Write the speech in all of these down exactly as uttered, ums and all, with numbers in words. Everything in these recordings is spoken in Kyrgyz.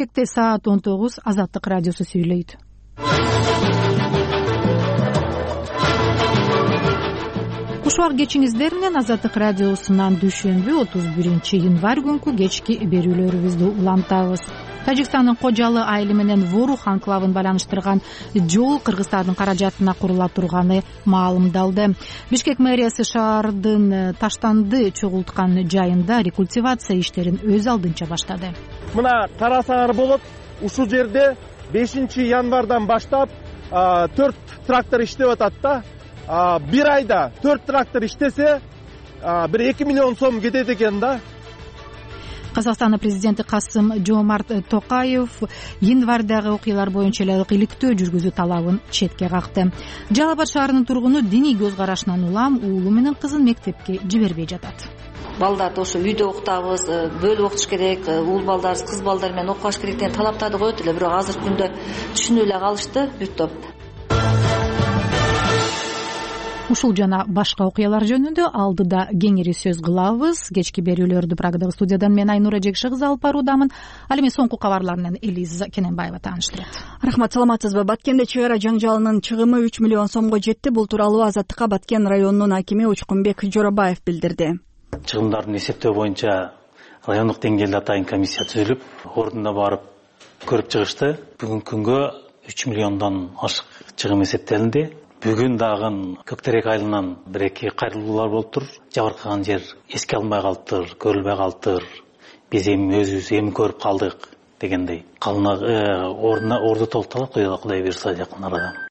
Бишкекте саат он тогуз. Азаттык радиосу сүйлөйт. Кушубак кечиңиздер менен Азаттык радиосунан дүйшөмбү отуз биринчи январь күнкү кечки берүүлөрүбүздү улантабыз. Тажикстандын Кожалы айылы менен Ворух анклавын байланыштырган жол Кыргызстандын каражатына курула турганы маалымдалды. Бишкек мэриясы шаардын таштанды чогулткан жайында рекультивация иштерин өз алдынча баштады. Мына карасаңар болот, ушул жерде бешинчи январдан баштап төрт трактор иштеп атат да. Бир айда төрт трактор иштесе бир эки миллион сом кетет экен да. Казакстандын президенти Касым Жомарт Токаев январдагы окуялар боюнча эле иликтөө жүргүзүү талабын четке какты. Жалал Абад шаарынын тургуну диний көз карашынан улам уулу менен кызын мектепке жибербей жатат. Балдарды ошо үйдө окутабыз, бөлүп окутуш керек, уул балдар, кыз балдар менен окубаш керек деген талаптарды коет эле, бирок азыркы күндө түшүнүп эле калышты бүт топ. Ушул жана башка окуялар жөнүндө алдыда кеңири сөз кылабыз. Кечки берүүлөрдү Прагадагы студиядан мен Айнура Жекши кызы алып баруудамын. Ал эми соңку кабарлар менен Элиза Кененбаева тааныштырат. Рахмат, саламатсызбы? Баткенде чыгара жаңжалынын чыгымы үч миллион сомго жетти. Бул тууралуу Азаттыкка Баткен районунун акими Учкунбек Жоробаев билдирди. Чыгымдардын эсептөө боюнча райондук деңгээлде атайын комиссия түзүлүп, ордуна барып көрүп чыгышты. Бүгүнкү күнгө үч миллиондон ашык чыгым эсептелинди. Бүгүн дагы Көктерек айылынан бир-эки кайрылуулар болуптур. Жабыркаган жер эске алынбай калыптыр, көрүлбөй калыптыр. Биз эми өзүбүз эми көрүп калдык дегендей. Калына ордуна орду толукталат, Кудай буйрса жакын арада.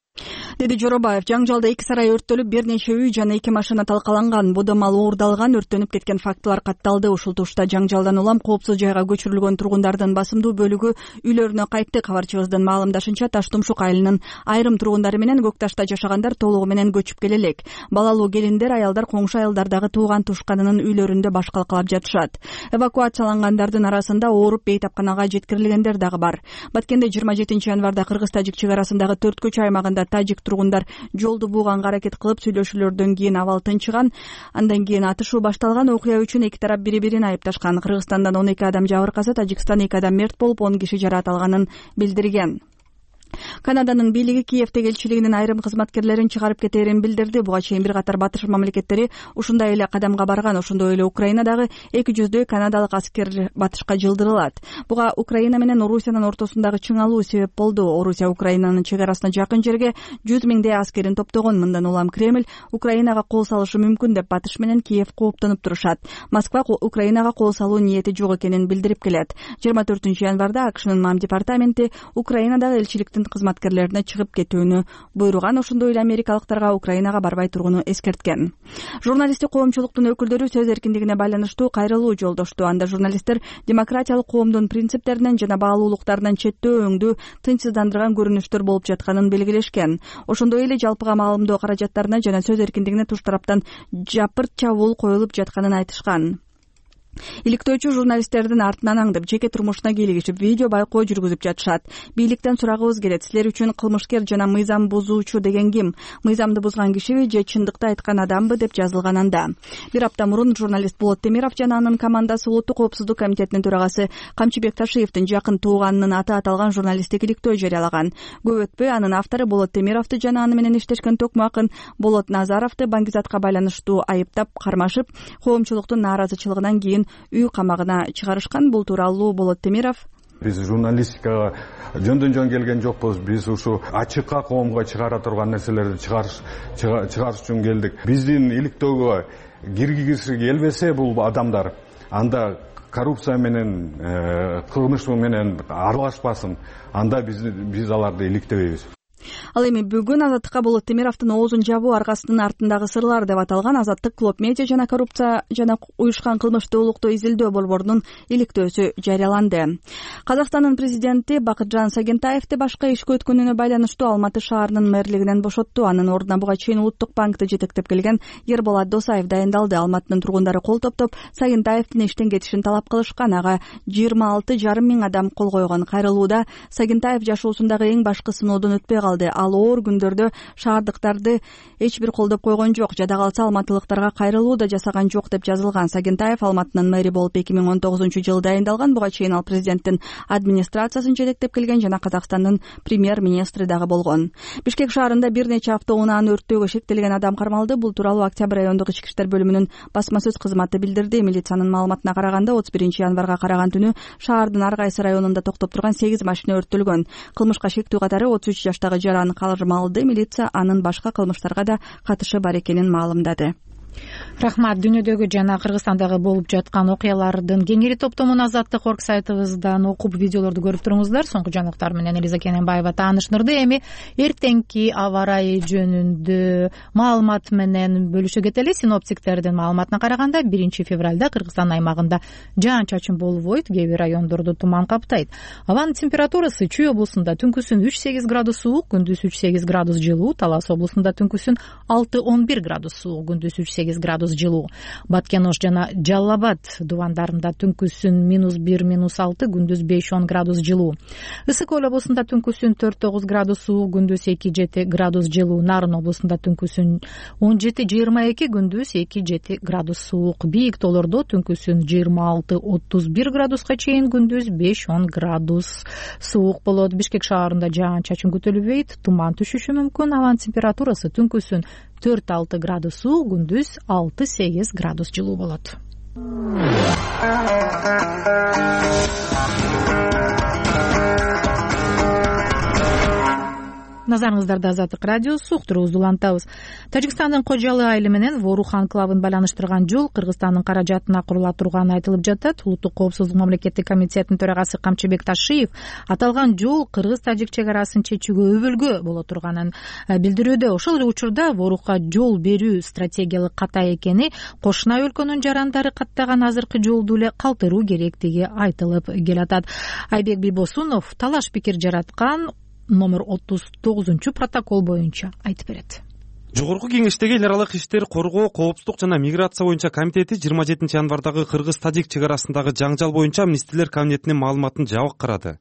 Деди Жоробаев, жаңжалда эки сарай өрттөлүп, бир нече үй жана эки машина талкаланган, бода мал уурдалган, өрттөнүп кеткен фактылар катталды. Ушул тушта жаңжалдан улам коопсуз жайга көчүрүлгөн тургундардын басымдуу бөлүгү үйлөрүнө кайтты. Кабарчыбыздын маалымдашынча, Таштумшук айылынын айрым тургундары менен Көк Ташта жашагандар толугу менен көчүп келе элек. Балалуу келиндер, аялдар коңшу айылдардагы тууган тушканынын үйлөрүндө баш калкалап жатышат. Эвакуациялангандардын арасында ооруп бейтапканага жеткирилгендер дагы бар. Баткенде жыйырма жетинчи январда Кыргыз-Тажик чек арасындагы төрт көчө аймагында тажик тургундар жолду бууганга аракет кылып, сүйлөшүүлөрдөн кийин абал тынчыган. Андан кийин атышуу башталган. Окуя үчүн эки тарап бири-бирин айыпташкан. Кыргызстандан он эки адам жабыркаса, Тажикстан эки адам мерт болуп, он киши жараат алганын билдирген. Канаданын бийлиги Киевдеги элчилигинин айрым кызматкерлерин чыгарып кетерин билдирди. Буга чейин бир катар батыш мамлекеттери ушундай эле кадамга барган. Ошондой эле Украинадагы эки жүздөй канадалык аскер батышка жылдырылат. Буга Украина менен Орусиянын ортосундагы чыңалуу себеп болду. Орусия Украинанын чек арасына жакын жерге жүз миңдей аскерин топтогон. Мындан улам Кремль Украинага кол салышы мүмкүн деп батыш менен Киев кооптонуп турушат. Москва Украинага кол салуу ниети жок экенин билдирип келет. жыйырма төртүнчү январда АКШнын МАМ департаменти Украинадагы элчиликтин кызматкерлерине чыгып кетүүнү буйруган. Ошондой эле америкалыктарга Украинага барбай тургуну эскерткен. Журналисттик коомчулуктун өкүлдөрү сөз эркиндигине байланыштуу кайрылуу жолдошту. Анда журналисттер демократиялык коомдун принциптеринен жана баалуулуктарынан четтөө, өңдүү, тынчсыздандырган көрүнүштөр болуп жатканын белгилешкен. Ошондой эле жалпыга маалымдоо каражаттарына жана сөз эркиндигине туш тараптан жапырт чабуул коюлуп жатканын айтышкан. Иликтөөчү журналисттердин артынан аңдып, жеке турмушуна кийлигишип, видео байкоо жүргүзүп жатышат. Бийликтен сурагыбыз келет: силер үчүн кылмышкер жана мыйзам бузуучу деген ким? Мыйзамды бузган кишиби же чындыкты айткан адамбы деп жазылган анда. Бир апта мурун журналист Болот Темиров жана анын командасы Улуттук коопсуздук комитетинин төрагасы Камчыбек Ташиевдин жакын тууганынын аты аталган журналисттик иликтөө жарыялаган. Көп өтпөй анын автору Болот Темировду жана аны менен иштешкен токмо акын Болот Назаровду баңгизатка байланыштуу айыптап кармашып, коомчулуктун нааразычылыгынан кийин үй камагына чыгарышкан. Бул тууралуу Болот Темиров: биз журналистикага жөндөн жөн келген жокпуз. Биз ушу ачыкка коомго чыгара турган нерселерди чыгарыш чыгарыш үчүн келдик. Биздин иликтөөгө киргизгиси келбесе бул адамдар, анда коррупция менен, кылмыш менен аралашпасын. Анда биз биз аларды иликтебейбиз. Ал эми бүгүн Азаттыкка Болот Темировдун оозун жабуу аргасынын артындагы сырлар деп аталган Азаттык Клоп Медиа жана коррупция жана уюшкан кылмыштуулукту изилдөө борборунун иликтөөсү жарыяланды. Казакстандын президенти Бакытжан Сагентаевди башка ишке өткөнүнө байланыштуу Алматы шаарынын мэрлигинен бошотту. Анын ордуна буга чейин Улуттук банкты жетектеп келген Ерболат Досаев дайындалды. Алматынын тургундары кол топтоп Сагентаевдин иштен кетишин талап кылышкан. Ага жыйырма алты жарым миң адам кол койгон. Кайрылууда Сагентаев жашоосундагы эң башкы сыноодон өтпөй калды. ал оор күндөрдө шаардыктарды эч бир колдоп койгон жок, жада калса алматылыктарга кайрылуу да жасаган жок деп жазылган. Сагентаев Алматынын мэри болуп эки миң он тогузунчу жылы дайындалган. Буга чейин ал президенттин администрациясын жетектеп келген жана Казакстандын премьер-министри дагы болгон. Бишкек шаарында бир нече автоунааны өрттөөгө шектелген адам кармалды. Бул тууралуу Октябрь райондук ички иштер бөлүмүнүн басма сөз кызматы билдирди. Милициянын маалыматына караганда отуз биринчи январга караган түнү шаардын ар кайсы районунда токтоп турган сегиз машина өрттөлгөн. Кылмышка шектүү катары отуз үч жаштагы жаран кармалды. Милиция анын башка кылмыштарга да катышы бар экенин маалымдады. Рахмат. Дүйнөдөгү жана Кыргызстандагы болуп жаткан окуялардын кеңири топтомун Азаттык орг сайтыбыздан окуп, видеолорду көрүп туруңуздар. Соңку жаңылыктар менен Элиза Кененбаева таанышдырды. Эми эртеңки аба ырайы жөнүндө маалымат менен бөлүшө кетели. Синоптиктердин маалыматына караганда биринчи февралда Кыргызстан аймагында жаан-чачын болбойт, кээ бир райондордо туман каптайт. Абанын температурасы Чүй облусунда түнкүсүн үч сегиз градус суук, күндүз үч сегиз градус жылуу, Талас облусунда түнкүсүн алты он бир градус суук, күндүз үч сегиз градус жылуу. Баткен Ош жана Жалал Абад дубандарында түнкүсүн минус бир минус алты, күндүз беш он градус жылуу. Ысык Көл облусунда түнкүсүн төрт тогуз градус суук, күндүз эки жети градус жылуу. Нарын облусунда түнкүсүн он жети жыйырма эки, күндүз эки жети градус суук. Бийик тоолордо түнкүсүн жыйырма алты отуз бир градуска чейин, күндүз беш он градус суук болот. Бишкек шаарында жаан-чачын күтүлбөйт, туман түшүшү мүмкүн. Абанын температурасы түнкүсүн төрт алты градус суук, күндүз алты сегиз градус жылуу болот. Назарыңыздарда Азаттык радиосу, уктуруубузду улантабыз. Тажикстандын Кожалы айылы менен Ворух анклавын байланыштырган жол Кыргызстандын каражатына курула турганы айтылып жатат. Улуттук коопсуздук мамлекеттик комитетинин төрагасы Камчыбек Ташиев аталган жол кыргыз-тажик чек арасын чечүүгө өбөлгө боло турганын билдирүүдө. Ошол эле учурдаВорухка жол берүү стратегиялык ката экени, кошуна өлкөнүн жарандары каттаган азыркы жолду эле калтыруу керектиги айтылып келатат. Айбек Бийбосунов талаш пикир жараткан номер отуз тогузунчу протокол боюнча айтып берет. Жогорку кеңештеги эл аралык иштер коргоо, коопсуздук жана миграция боюнча комитети жыйырма жетинчи январдагы кыргыз-тажик чек арасындагы жаңжал боюнча Министрлер кабинетинин маалыматын жабык карады.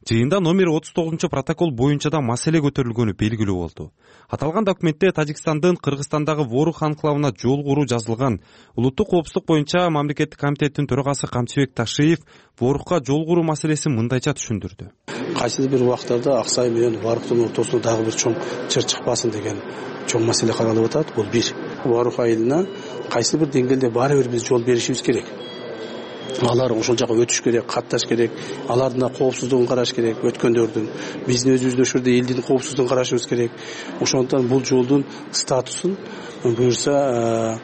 Жыйында номер отуз тогузунчу протокол боюнча да маселе көтөрүлгөнү белгилүү болду. Аталган документте Тажикстандын Кыргызстандагы Ворух анклавына жол куруу жазылган. Улуттук коопсуздук боюнча мамлекеттик комитеттин төрагасы Камчыбек ТашиевВорухка жол куруу маселесин мындайча түшүндүрдү. Кайсы бир убактарда Аксай менен Воруктун ортосуна дагы бир чоң чыр чыкпасын деген чоң маселе каралып атат. Бул бир. Ворух айылына кайсы бир деңгээлде баары бир биз жол беришибиз керек. Алар ошол жака өтүш керек, катташ керек, алардын коопсуздугун караш керек, өткөндөрдүн. Биздин өзүбүздүн ошол жерде элдин коопсуздугун карашыбыз керек. Ошондуктан бул жолдун статусун буюрса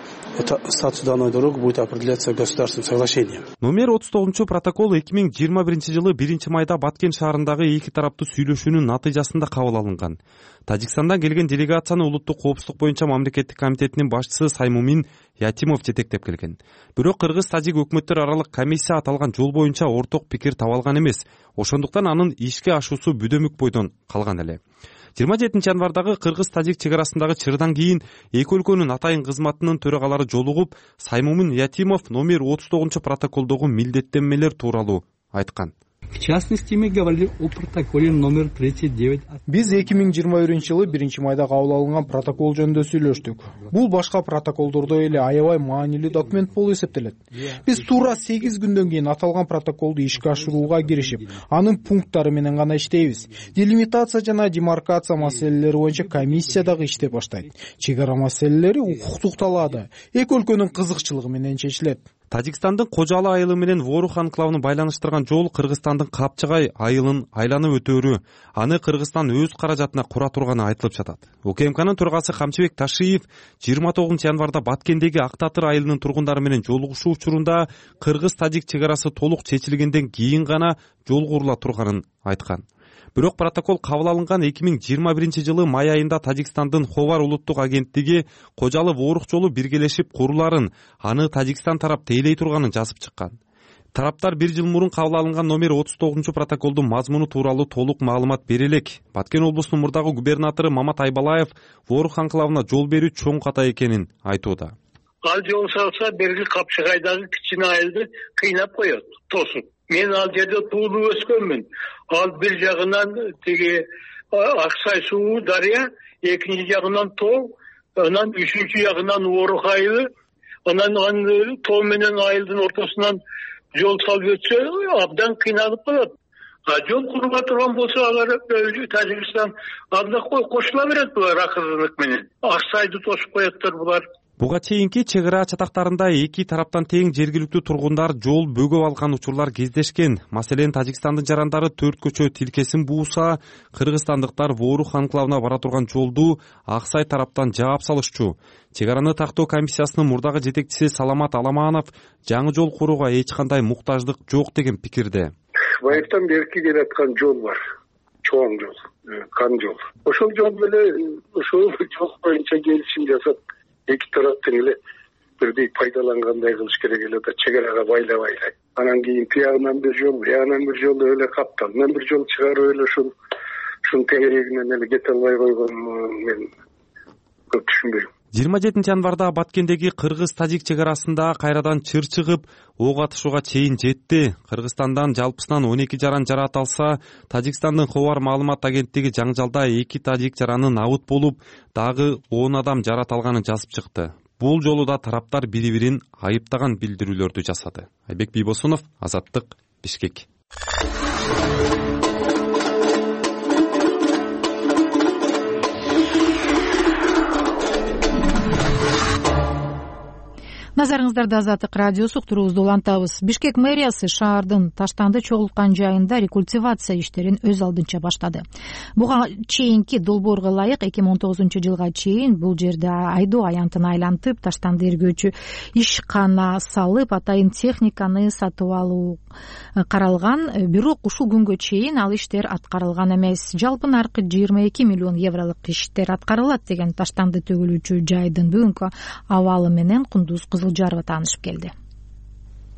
статус данной дороги будет определяться государственным соглашением. Номер отуз тогузунчу протокол эки миң жыйырма биринчи жылы биринчи майда Баткен шаарындагы эки тараптуу сүйлөшүүнүн натыйжасында кабыл алынган. Тажикстандан келген делегацияны улуттук коопсуздук боюнча мамлекеттик комитетинин башчысы Саймумин Ятимов жетектеп келген. Бирок кыргыз-тажик өкмөттөр аралык комиссия аталган жол боюнча орток пикир таба алган эмес. Ошондуктан анын ишке ашуусу бүдөмүк бойдон калган эле. жыйырма жетинчи январдагы кыргыз-тажик чек арасындагы чырдан кийин эки өлкөнүн атайын кызматынын төрагалары жолугуп, Саймумин Ятимов номер отуз тогузунчу протоколдогу милдеттенмелер тууралуу айткан. В частности, мы говорили о протоколе номер тридцать девять. Биз эки миң жыйырма биринчи жылы биринчи майда кабыл алынган протокол жөнүндө сүйлөштүк. Бул башка протоколдордой эле аябай маанилүү документ болуп эсептелет. Биз туура сегиз күндөн кийин аталган протоколду ишке ашырууга киришип, анын пункттары менен гана иштейбиз. Делимитация жана демаркация маселелери боюнча комиссия дагы иштеп баштайт. Чек ара маселелери укуктук талаада эки өлкөнүн кызыкчылыгы менен чечилет. Тажикстандын Кожалы айылы менен Ворух анклавын байланыштырган жол Кыргызстандын Капчыгай айылын айланып өтөөрү, аны Кыргызстан өз каражатына кура турганы айтылып жатат. УКМКнын төрагасы Камчыбек Ташиев жыйырма тогузунчу январда Баткендеги Ак Татыр айылынын тургундары менен жолугушуу учурунда кыргыз-тажик чек арасы толук чечилгенден кийин гана жол курула турганын айткан. Бирок протокол кабыл алынган эки миң жыйырма биринчи жылы май айында Тажикстандын Ховар улуттук агенттиги Кожалы Ворух жолу биргелешип куруларын, аны Тажикстан тарап тейлей турганын жазып чыккан. Тараптар бир жыл мурун кабыл алынган номер отуз тогузунчу протоколдун мазмуну тууралуу толук маалымат бере элек. Баткен облусунун мурдагы губернатору Мамат Айбалаев Ворух анклавына жол берүү чоң ката экенин айтууда. Ал жол салса берги Капчыгайдагы кичине айылды кыйнап коет, тосуп. Мен ал жерде туулуп өскөнмүн. Ал бир жагынан тиги Аксай суу дарыя, экинчи жагынан тоо, анан үчүнчү жагынан Орuk айылы, анан тоо менен айылдын ортосунан жол салып өтсө абдан кыйналып калат. А жол курба турган болсо алар Тажикстан анда кошула берет булар акырынык менен. Аксайды тосуп коеттер булар. Буга чейинки чек ара чатактарында эки тараптан тең жергиликтүү тургундар жол бөгөп алган учурлар кездешкен. Маселен, Тажикстандын жарандары төрт көчө тилкесин бууса, кыргызстандыктар Ворух анклавына бара турган жолду Аксай тараптан жаап салышчу. Чек араны тактоо комиссиясынын мурдагы жетекчиси Саламат Аламанов жаңы жол курууга эч кандай муктаждык жок деген пикирде. Байыртан берки келаткан жол бар. Чоң жол, кан жол. Ошол жол менен ошол жол боюнча келишим жасап, эки тараптын эле бирдей пайдалангандай кылыш керек эле да, чек арага байлап байлай. Анан кийин тиягынан бир жол, буягынан бир жол эле капталынан бир жол чыгарып эле ушул ушунун тегерегинен эле кете албай койгон мен көп түшүнбөйм. жыйырма жетинчи январда Баткендеги кыргыз-тажик чек арасында кайрадан чыр чыгып, ок атышууга чейин жетти. Кыргызстандан жалпысынан он эки жаран жарат алса, Тажикстандын Хабар маалымат агенттиги жаңжалда эки тажик жараны набыт болуп, дагы он адам жарат алганын жазып чыкты. Бул жолу да тараптар бири-бирин айыптаган билдирүүлөрдү жасады. Айбек Бийбосунов, Азаттык, Бишкек. Назарыңыздарда Азаттык радиосу уктуруубузду улантабыз. Бишкек мэриясы шаардын таштанды чогулткан жайында рекультивация иштерин өз алдынча баштады. Буга чейинки долбоорго ылайык эки миң он тогузунчу жылга чейин бул жерде айдоо аянтын айлантып, таштанды эргөөчү ишкана салып, атайын техниканы сатып алуу каралган. Бирок ушул күнгө чейин ал иштер аткарылган эмес. Жалпы наркы жыйырма эки миллион евролук иштер аткарылат деген таштанды төгүлүүчү жайдын бүгүнкү абалы менен Кундуз Кызылжарова таанышып келди.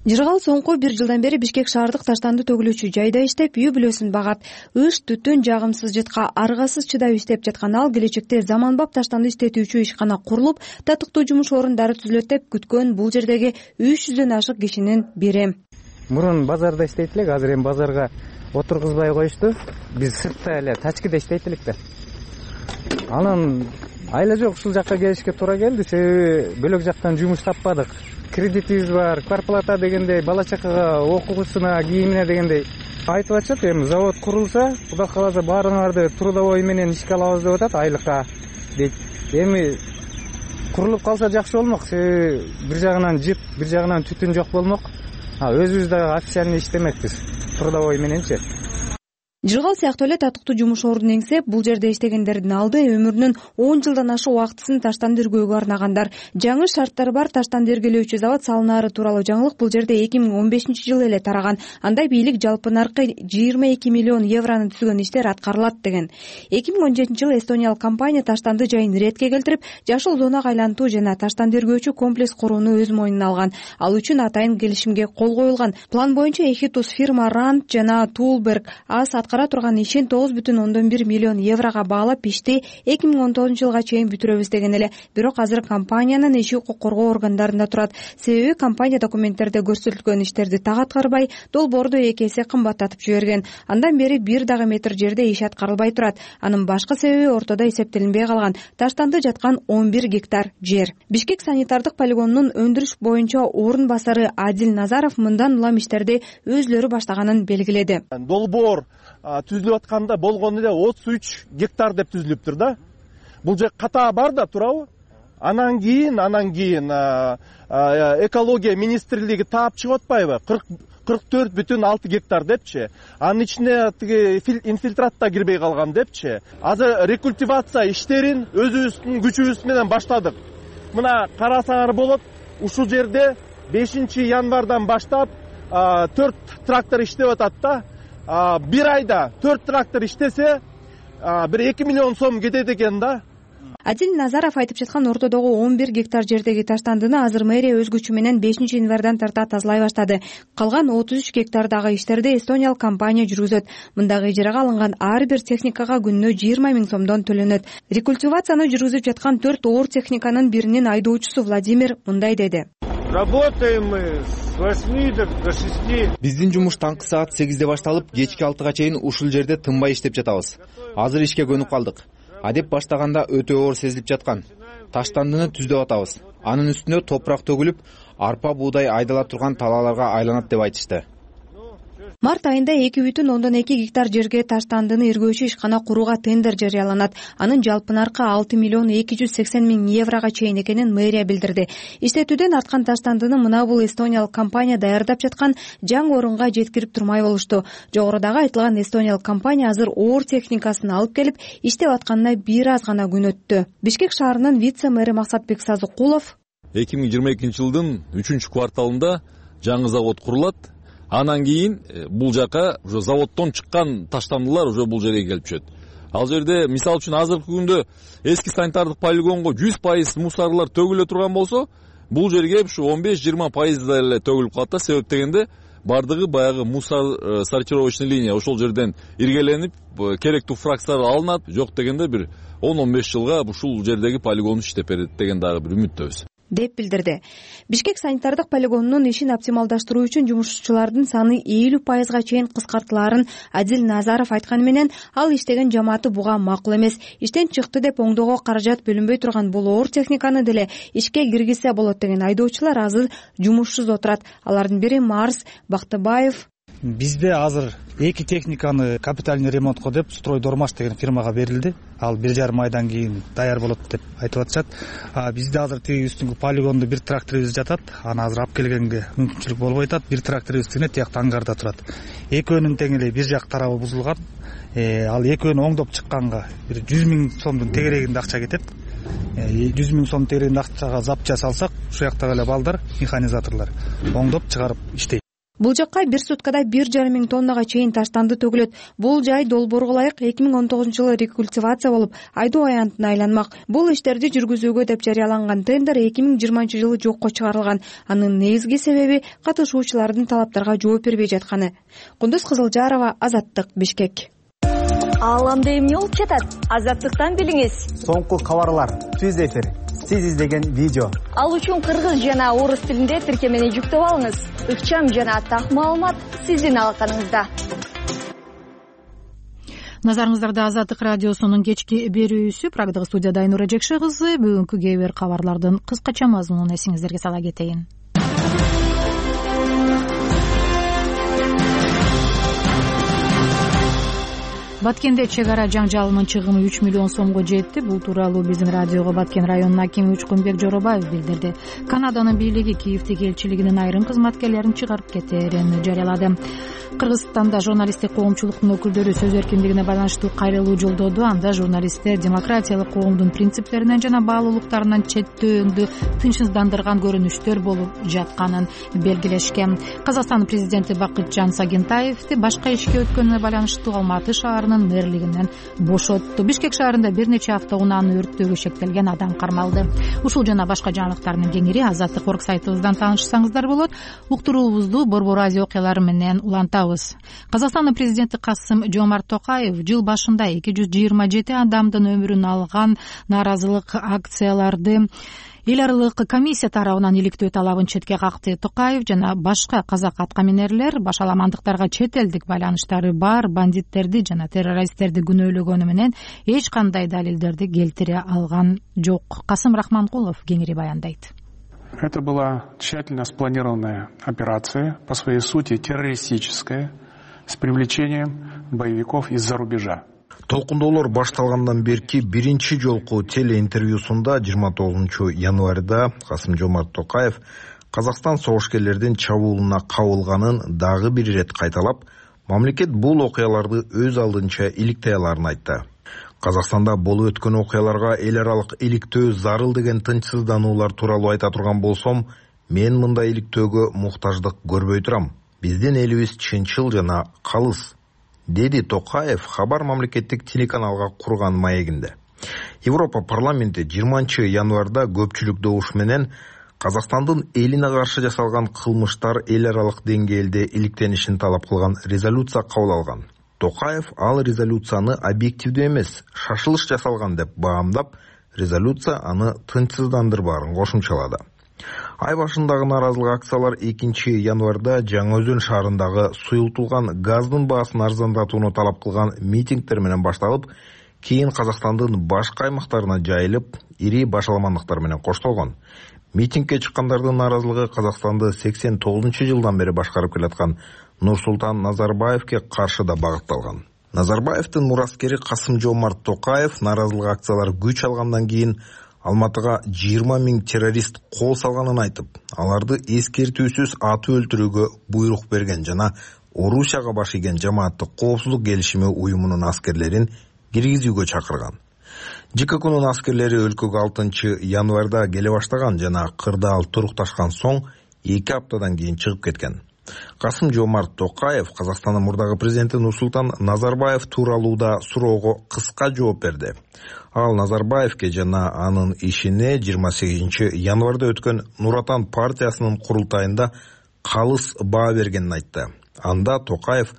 Жыргал соңку бир жылдан бери Бишкек шаардык таштанды төгүлүүчү жайда иштеп, үй бүлөсүн багат. Ыш, түтүн, жагымсыз жытка аргасыз чыдап иштеп жаткан ал келечекте заманбап таштанды иштетүүчү ишкана курулуп, татыктуу жумуш орундары түзүлөт деп күткөн бул жердеги үч жүздөн ашык кишинин бири. Мурун базарда иштейт элек, азыр эми базарга отургузбай коюшту. Биз сыртта эле тачкиде иштейт элек да. Анан айла жок, ушул жакка келишке туура келди, себеби бөлөк жактан жумуш таппадык. Кредитибиз бар, квартплата дегендей, бала чакага окуусуна, кийимине дегендей. Айтып атышат, эми завод курулса, Кудай кааласа баарыңарды трудовой менен ишке алабыз деп атат, айлыкка дейт. Эми курулуп калса жакшы болмок, себеби бир жагынан жыт, бир жагынан түтүн жок болмок. А өзүбүз дагы официальный иштемекпиз, трудовой мененчи. Жыргал сыяктуу эле татыктуу жумуш ордун эңсеп, бул жерде иштегендердин алды өмүрүнүн он жылдан ашык убактысын таштанды эргөөгө арнагандар. Жаңы шарттары бар таштанды эргелөөчү завод салынаары тууралуу жаңылык бул жерде эки миң он бешинчи жылы эле тараган. Андай бийлик жалпы наркы жыйырма эки миллион евроны түзгөн иштер аткарылат деген. эки миң он жетинчи жылы эстониялык компания таштанды жайын ретке келтирип, жашыл зонага айлантуу жана таштанды эргөөчү комплекс курууну өз мойнуна алган. Ал үчүн атайын келишимге кол коюлган. План боюнча Эхитус фирма Ранд жана Тулберг ас аткара турган ишин тогуз бүтүн ондон бир миллион еврого баалап ишти эки миң он тогузунчу жылга чейин бүтүрөбүз деген эле. Бирок азыр компаниянын иши укук коргоо органдарында турат. Себеби компания документтерде көрсөтүлгөн иштерди так аткарбай, долбоорду эки эсе кымбаттатып жиберген. Андан бери бир дагы метр жерде иш аткарылбай турат. Анын башкы себеби ортодо эсептелинбей калган таштанды жаткан он бир гектар жер. Бишкек санитардык полигонунун өндүрүш боюнча орун басары Адил Назаров мындан улам иштерди өзлөрү баштаганын белгиледи. Долбоор түзүлүп атканда болгону эле отуз үч гектар деп түзүлүптүр да. Бул же ката бар да, туурабы? Анан кийин, анан кийин экология министрлиги таап чыгып атпайбы? кырк төрт бүтүн алты гектар депчи. Анын ичине тиги инфильтрат да кирбей калган депчи. Азыр рекультивация иштерин өзүбүздүн күчүбүз менен баштадык. Мына карасаңар болот, ушул жерде бешинчи январдан баштап төрт трактор иштеп атат да. Бир айда төрт трактор иштесе, бир эки миллион сом кетет экен да. Адил Назаров айтып жаткан ортодогу он бир гектар жердеги таштандыны азыр мэрия өз күчү менен бешинчи январдан тарта тазалай баштады. Калган отуз үч гектардагы иштерди эстониялык компания жүргүзөт. Мындагы ижарага алынган ар бир техникага күнүнө жыйырма миң сомдон төлөнөт. Рекультивацияны жүргүзүп жаткан төрт оор техниканын биринин айдоочусу Владимир мындай деди. Работаем мы с восьми до шести. Биздин жумуш таңкы саат сегизде башталып, кечки алтыга чейин ушул жерде тынбай иштеп жатабыз. Азыр ишке көнүп калдык. Адеп баштаганда өтө оор сезилип жаткан. Таштандыны түздөп атабыз. Анын үстүнө топурак төгүлүп, арпа буудай айдала турган талааларга айланат деп айтышты. Март айында эки бүтүн ондон эки гектар жерге таштандыны иргөөчү ишкана курууга тендер жарыяланат. Анын жалпы наркы алты миллион эки жүз сексен миң еврого чейин экенин мэрия билдирди. Иштетүүдөн арткан таштандыны мына бул эстониялык компания даярдап жаткан жаңы орунга жеткирип турмай болушту. Жогорудагы айтылган эстониялык компания азыр оор техникасын алып келип иштеп атканына бир аз гана күн өттү. Бишкек шаарынын вице-мэри Максатбек Сазыкулов эки миң жыйырма экинчи жылдын үчүнчү кварталында жаңы завод курулат. Анан кийин бул жака уже заводдон чыккан таштандылар уже бул жерге келип түшөт. Ал жерде мисалы үчүн азыркы күндө эски санитардык полигонго жүз пайыз мусорлор төгүлө турган болсо, бул жерге ушу он беш жыйырма пайыздай эле төгүлүп калат да. Себеп дегенде бардыгы баягы мусор сортировочный линия ошол жерден иргеленип, керектүү фракциялар алынат. Жок дегенде бир он он беш жылга ушул жердеги полигон иштеп берет деген дагы бир үмүттөбүз деп билдирди. Бишкек санитардык полигонунун ишин оптималдаштыруу үчүн жумушчулардын саны элүү пайызга чейин кыскартылаарын Адил Назаров айтканы менен, ал иштеген жамааты буга макул эмес. Иштен чыкты деп оңдоого каражат бөлүнбөй турган бул оор техниканы деле ишке киргизсе болот деген айдоочулар азыр жумушсуз отурат. Алардын бири Марс Бактыбаев. Бизде азыр эки техниканы капитальный ремонтко деп Стройдормаш деген фирмага берилди. Ал бир жарым айдан кийин даяр болот деп айтып атышат. Бизде азыр тиги үстүнгү полигондо бир тракторубуз жатат. Аны азыр алып келгенге мүмкүнчүлүк болбой атат. Бир тракторубуз тигине тиякта аңгарда турат. Экөөнүн тең эле бир жак тарабы бузулган. Ал экөөнү оңдоп чыкканга бир жүз миң сомдун тегерегинде акча кетет. жүз миң сом тегерегинде акчага запчасть салсак, ушул жактагы эле балдар, механизаторлор оңдоп чыгарып иштейт. Бул жакка бир суткада бир жарым миң тоннага чейин таштанды төгүлөт. Бул жай долбоорго ылайык эки миң он тогузунчу жылы рекультивация болуп, айдоо аянтына айланмак. Бул иштерди жүргүзүүгө деп жарыяланган тендер эки миң жыйырманчы жылы жокко чыгарылган. Анын негизги себеби катышуучулардын талаптарга жооп бербей жатканы. Кундуз Кызылжарова, Азаттык, Бишкек. Ал анда эмне болуп жатат? Азаттыктан билиңиз. Соңку кабарлар, түз эфир, сиз издеген видео. Ал үчүн кыргыз жана орус тилинде тиркемени жүктөп алыңыз. Ыкчам жана так маалымат сиздин алаканыңызда. Назарыңыздарда Азаттык радиосунун кечки берүүсү. Прагдагы студияда Айнура Жекше кызы. Бүгүнкү кээ бир кабарлардын кыскача мазмунун эсиңиздерге сала кетейин. Баткенде чек ара жаңжалынын чыгымы үч миллион сомго жетти. Бул тууралуу биздин радиого Баткен районунун акими Учкунбек Жоробаев билдирди. Канаданын бийлиги Киевдеги элчилигинин айрым кызматкерлерин чыгарып кетээрин жарыялады. Кыргызстанда журналисттик коомчулуктун өкүлдөрү сөз эркиндигине байланыштуу кайрылуу жолдоду. Анда журналисттер демократиялык коомдун принциптеринен жана баалуулуктарынан четтөөндү тынчсыздандырган көрүнүштөр болуп жатканын белгилешкен. Казакстандын президенти Бакытжан Сагентаевди башка ишке өткөнүнө байланыштуу Алматы шаарынын мэрлигинен бошотту. Бишкек шаарында бир нече автоунааны өрттөөгө шектелген адам кармалды. Ушул жана башка жаңылыктардын кеңири Азаттык орг сайтыбыздан таанышсаңыздар болот. Уктуруубузду Борбор Азия окуялары менен улантабыз. Казакстандын президенти Касым Жомарт Токаев жыл башында эки жүз жыйырма жети адамдын өмүрүн алган нааразылык акцияларды эл аралык комиссия тарабынан иликтөө талабын четке какты. Токаев жана башка казак аткаминерлер башаламандыктарга чет элдик байланыштары бар бандиттерди жана террористтерди күнөөлөгөнү менен эч кандай далилдерди келтире алган жок. Касым Рахманкулов кеңири баяндайт. Это была тщательно спланированная операция, по своей сути террористическая, с привлечением боевиков из-за рубежа. Толкундоолор башталгандан берки биринчи жолку телеинтервьюсунда жыйырма тогузунчу январда Касым Жомарт Токаев Казакстан согушкерлердин чабуулуна кабылганын дагы бир ирет кайталап, мамлекет бул окуяларды өз алдынча иликтей аларын айтты. Казакстанда болуп өткөн окуяларга эл аралык иликтөө зарыл деген тынчсыздануулар тууралуу айта турган болсом, мен мындай иликтөөгө муктаждык көрбөй турам. Биздин элибиз чынчыл жана калыс, деди Токаев хабар мамлекеттик телеканалга курган маегинде. Европа парламенти жыйырманчы январда көпчүлүк добуш менен Казакстандын элине каршы жасалган кылмыштар эл аралык деңгээлде иликтенишин талап кылган резолюция кабыл алган. Токаев ал резолюцияны объективдүү эмес, шашылыш жасалган деп баамдап, резолюция аны тынчсыздандырбаарын кошумчалады. Ай башындагы нааразылык акциялар экинчи январда Жаңы Өзөн шаарындагы суюлтулган газдын баасын арзандатууну талап кылган митингдер менен башталып, кийин Казакстандын башка аймактарына жайылып, ири башаламандыктар менен коштолгон. Митингге чыккандардын нааразылыгы Казакстанды сексен тогузунчу жылдан бери башкарып келаткан Нурсултан Назарбаевке каршы да багытталган. Назарбаевдин мураскери Касым-Жомарт Токаев нааразылык акциялар күч алгандан кийин Алматыга жыйырма миң террорист кол салганын айтып, аларды эскертүүсүз атып өлтүрүүгө буйрук берген жана Орусияга баш ийген жамааттык коопсуздук келишими уюмунун аскерлерин киргизүүгө чакырган. ЖККнын аскерлери өлкөгө алтынчы январда келе баштаган жана кырдаал турукташкан соң эки аптадан кийин чыгып кеткен. Касым-Жомарт Токаев Казакстандын мурдагы президенти Нурсултан Назарбаев тууралууда суроого кыска жооп берди. Ал Назарбаевке жана анын ишине жыйырма сегизинчи январда өткөн Нур Отан партиясынын курултайында калыс баа бергенин айтты. Анда Токаев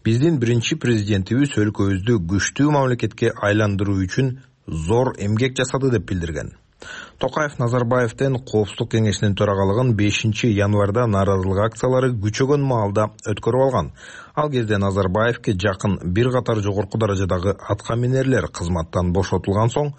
биздин биринчи президентибиз өлкөбүздү күчтүү мамлекетке айландыруу үчүн зор эмгек жасады деп билдирген. Токаев Назарбаевден Коопсуздук кеңешинин төрагалыгын бешинчи январда нааразылык акциялары күчөгөн маалда өткөрүп алган. Ал кезде Назарбаевке жакын бир катар жогорку даражадагы атка минерлер кызматтан бошотулган соң,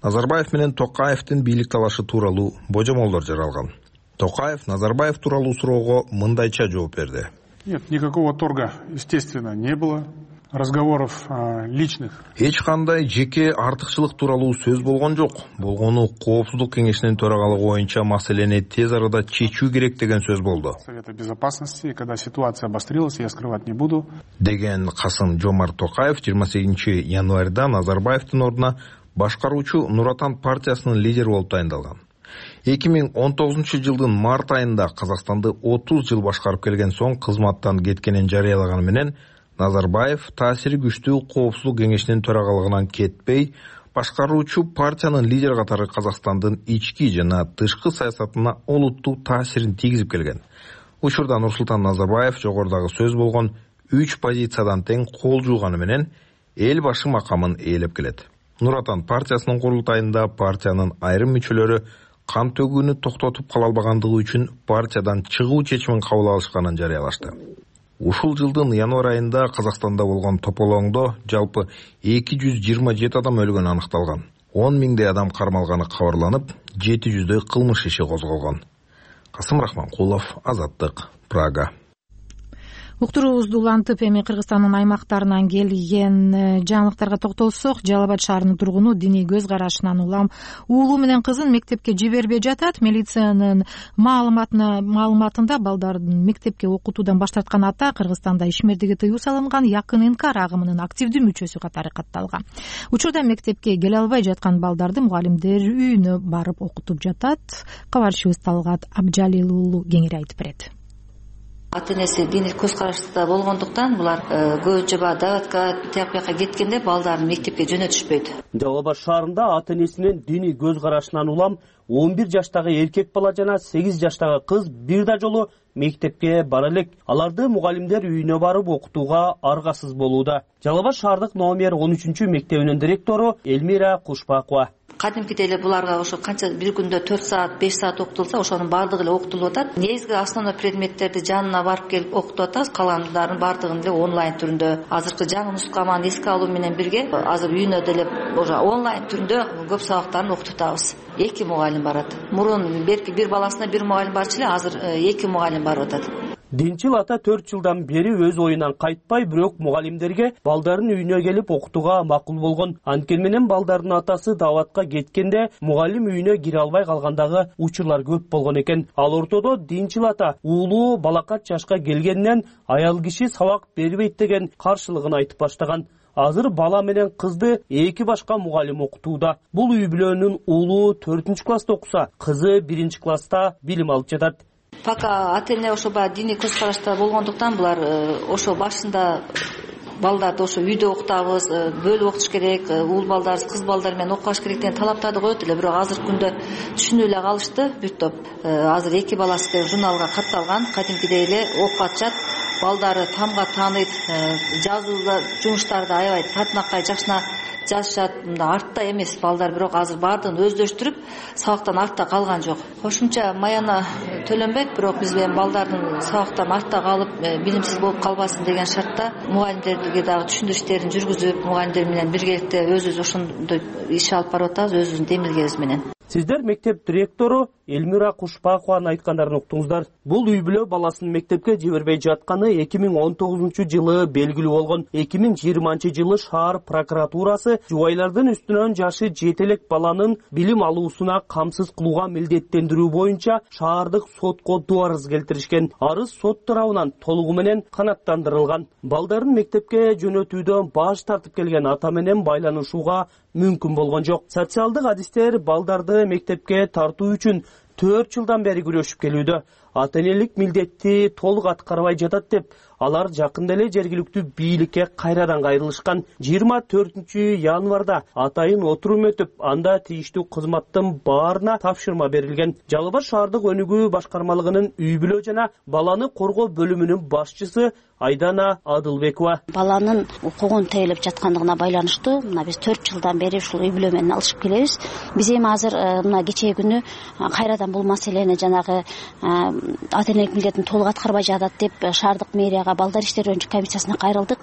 Назарбаев менен Токаевдин бийлик талашы тууралуу божомолдор жаралган. Токаев Назарбаев тууралуу суроого мындайча жооп берди. Нет, никакого торга, естественно, не было. Разговоров а, личных. Эч кандай жеке артыкчылык тууралуу сөз болгон жок. Болгону Коопсуздук кеңешинин төрагалыгы боюнча маселени тез арада чечүү керек деген сөз болду. Совета безопасности, когда ситуация обострилась, я скрывать не буду. Деген Касым-Жомарт Токаев жыйырма сегизинчи январда Назарбаевдин ордуна башкаруучу Нур Отан партиясынын лидери болуп тайындалган. эки миң он тогузунчу жылдын март айында Казакстанды отуз жыл башкарып келген соң кызматтан кеткенин жарыялаганы менен Назарбаев таасири күчтүү Коопсуздук кеңешинин төрагалыгынан кетпей, башкаруучу партиянын лидери катары Казакстандын ички жана тышкы саясатына олуттуу таасирин тийгизип келген. Учурда Нурсултан Назарбаев жогорудагы сөз болгон үч позициядан тең кол жууганы менен эл башы макамын ээлеп келет. Нур Отан партиясынын курултайында партиянын айрым мүчөлөрү кан төгүүнү токтотуп кала албагандыгы үчүн партиядан чыгуу чечимин кабыл алышканын жарыялашты. Ушул жылдын январ айында Казакстанда болгон тополоңдо жалпы эки жүз жыйырма жети адам өлгөнү аныкталган. он миңдей адам кармалганы кабарланып, жети жүздөй кылмыш иши козголгон. Касым Рахманкулов, Азаттык, Прага. Уктуруубузду улантып, эми Кыргызстандын аймактарынан келген жаңылыктарга токтолсок, Жалал Абад шаарынын тургуну диний көз карашынан улам уулу менен кызын мектепке жибербей жатат. Милициянын маалыматына маалыматында балдардын мектепке окутуудан баш тарткан ата Кыргызстанда ишмердиги тыюу салынган якын инкар агымынын активдүү мүчөсү катары катталган. Учурда мектепке келе албай жаткан балдарды мугалимдер үйүнө барып окутуп жатат. Кабарчыбыз Талгат Абжалил уулу кеңири айтып берет. Ата энеси диний көз карашта болгондуктан булар көп жаба даватка тияк бияка кеткенде балдарын мектепке жөнөтүшпөйт. Жалал Абад шаарында ата энесинин диний көз карашынан улам он бир жаштагы эркек бала жана сегиз жаштагы кыз бир да жолу мектепке бара элек. Аларды мугалимдер үйүнө барып окутууга аргасыз болууда. Жалал Абад шаардык номер он үчүнчү мектебинин директору Элмира Кушпакова. Кадимкидей эле буларга ошо канча бир күндө төрт саат беш саат окутулса, ошонун баардыгы эле окутулуп атат. Негизги основной предметтерди жанына барып келип окутуп атабыз. Калгандарын баардыгын эле онлайн түрүндө. Азыркы жаңы нускаманы эске алуу менен бирге азыр үйүнө деле ошо онлайн түрүндө көп сабактарын окутуп атабыз. Эки мугалим барат. Мурун берки бир баласына бир мугалим барчу эле, азыр эки мугалим барып атат. Динчил ата төрт жылдан бери өз оюнан кайтпай, бирок мугалимдерге балдарын үйүнө келип окутууга макул болгон. Анткени менен балдардын атасы даватка кеткенде мугалим үйүнө кире албай калгандагы учурлар көп болгон экен. Ал ортодо Динчил ата уулу балакат жашка келгенинен аял киши сабак бербейт деген каршылыгын айтып баштаган. Азыр бала менен кызды эки башка мугалим окутууда. Бул үй бүлөнүн уулу төртүнчү класста окуса, кызы биринчи класста билим алып жатат. Пока ата эне ошо баягы диний көз карашта болгондуктан булар ошо башында балдарды ошо үйдө окутабыз, бөлүп окутуш керек, уул балдар, кыз балдар менен окубаш керек деген талаптарды коет эле. Бирок азыркы күндө түшүнүп эле калышты бир топ. Азыр эки баласы деп журналга катталган, кадимкидей эле окуп атышат. Балдары тамга тааныйт, жазууда жумуштарды аябай татынакай жакшына жазышат. Мында артта эмес балдар, бирок азыр баардыгын өздөштүрүп сабактан артта калган жок. Кошумча маяна төлөнбөйт, бирок биз эми балдардын сабактан артта калып билимсиз болуп калбасын деген шартта мугалимдерге дагы түшүндүрүү иштерин жүргүзүп, мугалимдер менен биргеликте өзүбүз ошондой иш алып барып атабыз өзүбүздүн демилгебиз менен. Сиздер мектеп директору Элмира Кушпакованын айткандарын уктуңуздар. Бул үй бүлө баласын мектепке жибербей жатканы эки миң он тогузунчу жылы белгилүү болгон. эки миң жыйырманчы жылы шаар прокуратурасы жубайлардын үстүнөн жашы жете элек баланын билим алуусуна камсыз кылууга милдеттендирүү боюнча шаардык сотко арыз келтиришкен. Арыз сот тарабынан толугу менен канааттандырылган. Балдарын мектепке жөнөтүүдөн баш тартып келген ата менен байланышууга мүмкүн болгон жок. Социалдык адистер балдарды мектепке тартуу үчүн төрт жылдан бери күрөшүп келүүдө. Ата энелик милдетти толук аткарбай жатат деп, алар жакында эле жергиликтүү бийликке кайрадан кайрылышкан. жыйырма төртүнчү январда атайын отурум өтүп, анда тийиштүү кызматтын баарына тапшырма берилген. Жалал Абад шаардык өнүгүү башкармалыгынын үй бүлө жана баланы коргоо бөлүмүнүн башчысы Айдана Адылбекова. Баланын укугун тейлеп жаткандыгына байланыштуу мына биз төрт жылдан бери ушул үй бүлө менен алышып келебиз. Биз эми азыр мына кечээ күнү кайрадан бул маселени жанагы ата энелик милдетин толук аткарбай жатат деп шаардык мэрияга балдар иштери боюнча комиссиясына кайрылдык.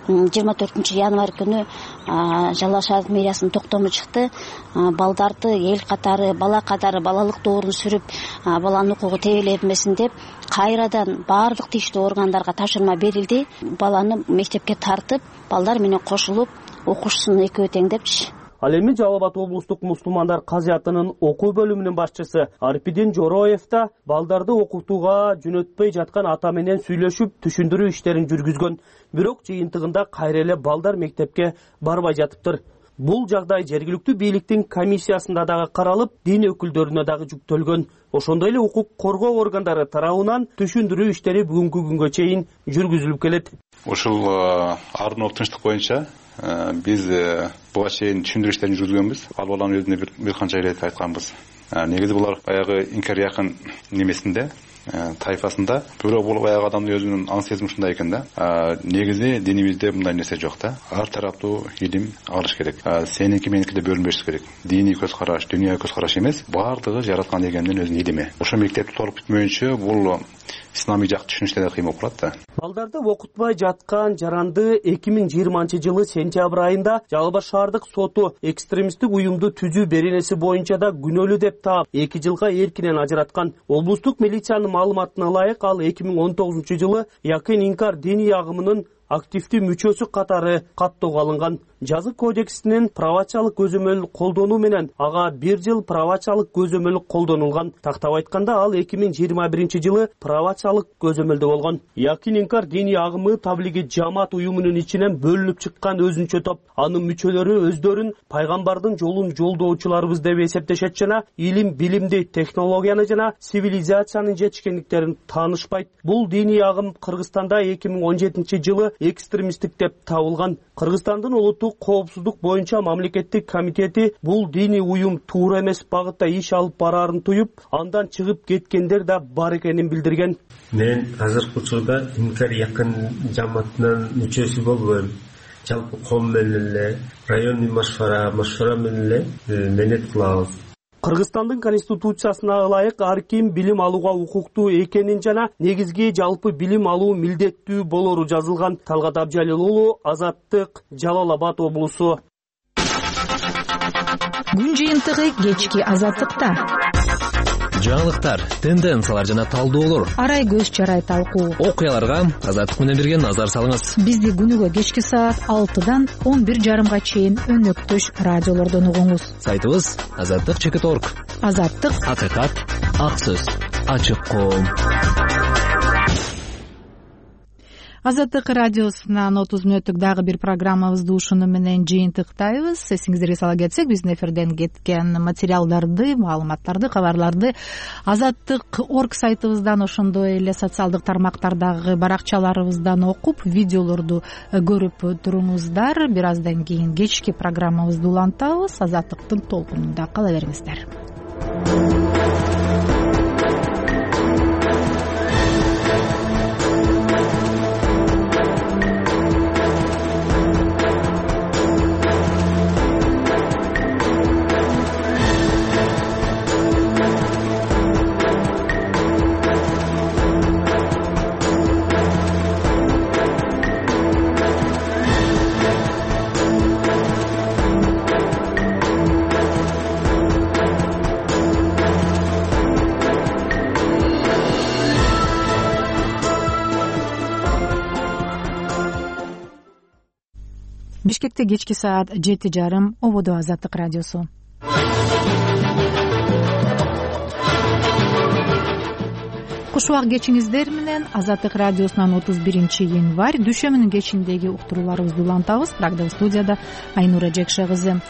жыйырма төртүнчү январь күнү Жалал Абад шаардык мэриясынын токтому чыкты. Балдарды эл катары, бала катары балалык доорун сүрүп, баланын укугу тебелетмесин деп кайрадан баардык тийиштүү органдарга тапшырма берилди. Баланы мектепке тартып, балдар менен кошулуп, окуушусун экөө теңдепчи. Ал эми Жалал Абад облустук мусулмандар казыятынын окуу бөлүмүнүн башчысы Арпидин Жороев да балдарды окутууга жөнөтпөй жаткан ата менен сүйлөшүп, түшүндүрүү иштерин жүргүзгөн. Бирок жыйынтыгында кайра эле балдар мектепке барбай жатыптыр. Бул жагдай жергиликтүү бийликтин комиссиясында дагы каралып, дин өкүлдөрүнө дагы жүктөлгөн. Ошондой эле укук коргоо органдары тарабынан түшүндүрүү иштери бүгүнкү күнгө чейин жүргүзүлүп келет. Ушул ардын тынчтык боюнча биз буга чейин түшүндүрүү иштерин жүргүзгөнбүз. Ал баланын өзүнө бир канча ирет айтканбыз. Негизи булар баягы инкар якын немесинде, тайфасында, бирок бул баягы адамдын өзүнүн аң сезими ушундай экен да. Негизи динибизде мындай нерсе жок да. Ар тараптуу илим алыш керек. Сеники меники деп бөлүнбөш керек. Диний көз караш, дүйнөлүк көз караш эмес, баардыгы жараткан Эгемдин өзүнүн илими. Ошо мектепти толук бүтмөйүнчө бул исламий жак түшүнүштө да кыйын болуп калат да. Балдарды окутпай жаткан жаранды эки миң жыйырманчы жылы сентябрь айында Жалал Абад шаардык соту экстремисттик уюмду түзүү беренеси боюнча да күнөөлүү деп таап, эки жылга эркинен ажыраткан. Облустук милициянын маалыматына ылайык, ал эки миң он тогузунчу жылы Якин Инкар диний агымынын активдүү мүчөсү катары каттоого алынган. Жазык кодексинин правачалык көзөмөл колдонуу менен ага бир жыл правачалык көзөмөл колдонулган. Тактап айтканда, ал эки миң жыйырма биринчи жылы правачалык көзөмөлдө болгон. Якин Инкар диний агымы таблиги жамаат уюмунун ичинен бөлүнүп чыккан өзүнчө топ. Анын мүчөлөрү өздөрүн пайгамбардын жолун жолдоочуларыбыз деп эсептешет жана илим, билимди, технологияны жана цивилизациянын жетишкендиктерин таанышпайт. Бул диний агым Кыргызстанда эки миң он жетинчи жылы экстремисттик деп табылган. Кыргызстандын улуттук коопсуздук боюнча мамлекеттик комитети бул диний уюм туура эмес багытта иш алып бараарын туюп, андан чыгып кеткендер да бар экенин билдирген. Мен азыркы учурда Инкар Якын жамаатынын мүчөсү болбойм. Жалпы ком менен эле, районный машвара, машвара менен эле менет кылабыз. Кыргызстандын конституциясына ылайык ар ким билим алууга укуктуу экенин жана негизги жалпы билим алуу милдеттүү болору жазылган. Талгат Абжалил уулу, Азаттык, Жалал Абад облусу. Күн жыйынтыгы кечки Азаттыкта. Жаңылыктар, тенденциялар жана талдоолор. Арай көз чарай талкуу. Окуяларга Азаттык менен бирге назар салыңыз. Бизди күнүгө кечки саат алтыдан он бир жарымга чейин өнөктөш радиолордон угуңуз. Сайтыбыз азаттык чекит точка орг. Азаттык, акыйкат, ак сөз, ачык коом. Азаттык радиосунан отуз мүнөттүк дагы бир программабызды ушуну менен жыйынтыктайбыз. Эсиңиздерге сала кетсек, биздин эфирден кеткен материалдарды, маалыматтарды, кабарларды азаттык точка орг сайтыбыздан, ошондой эле социалдык тармактардагы баракчаларыбыздан окуп, видеолорду көрүп туруңуздар. Бир аздан кийин кечки программабызды улантабыз. Азаттыктын толкунунда кала бериңиздер. келечекте кечки саат жети жарым ободо Азаттык радиосу. Куш убак кечиңиздер менен Азаттык радиосунан отуз биринчи январь дүйшөмбүнүн кечиндеги уктурууларыбызды улантабыз. Программа студияда Айнура Жекше кызы.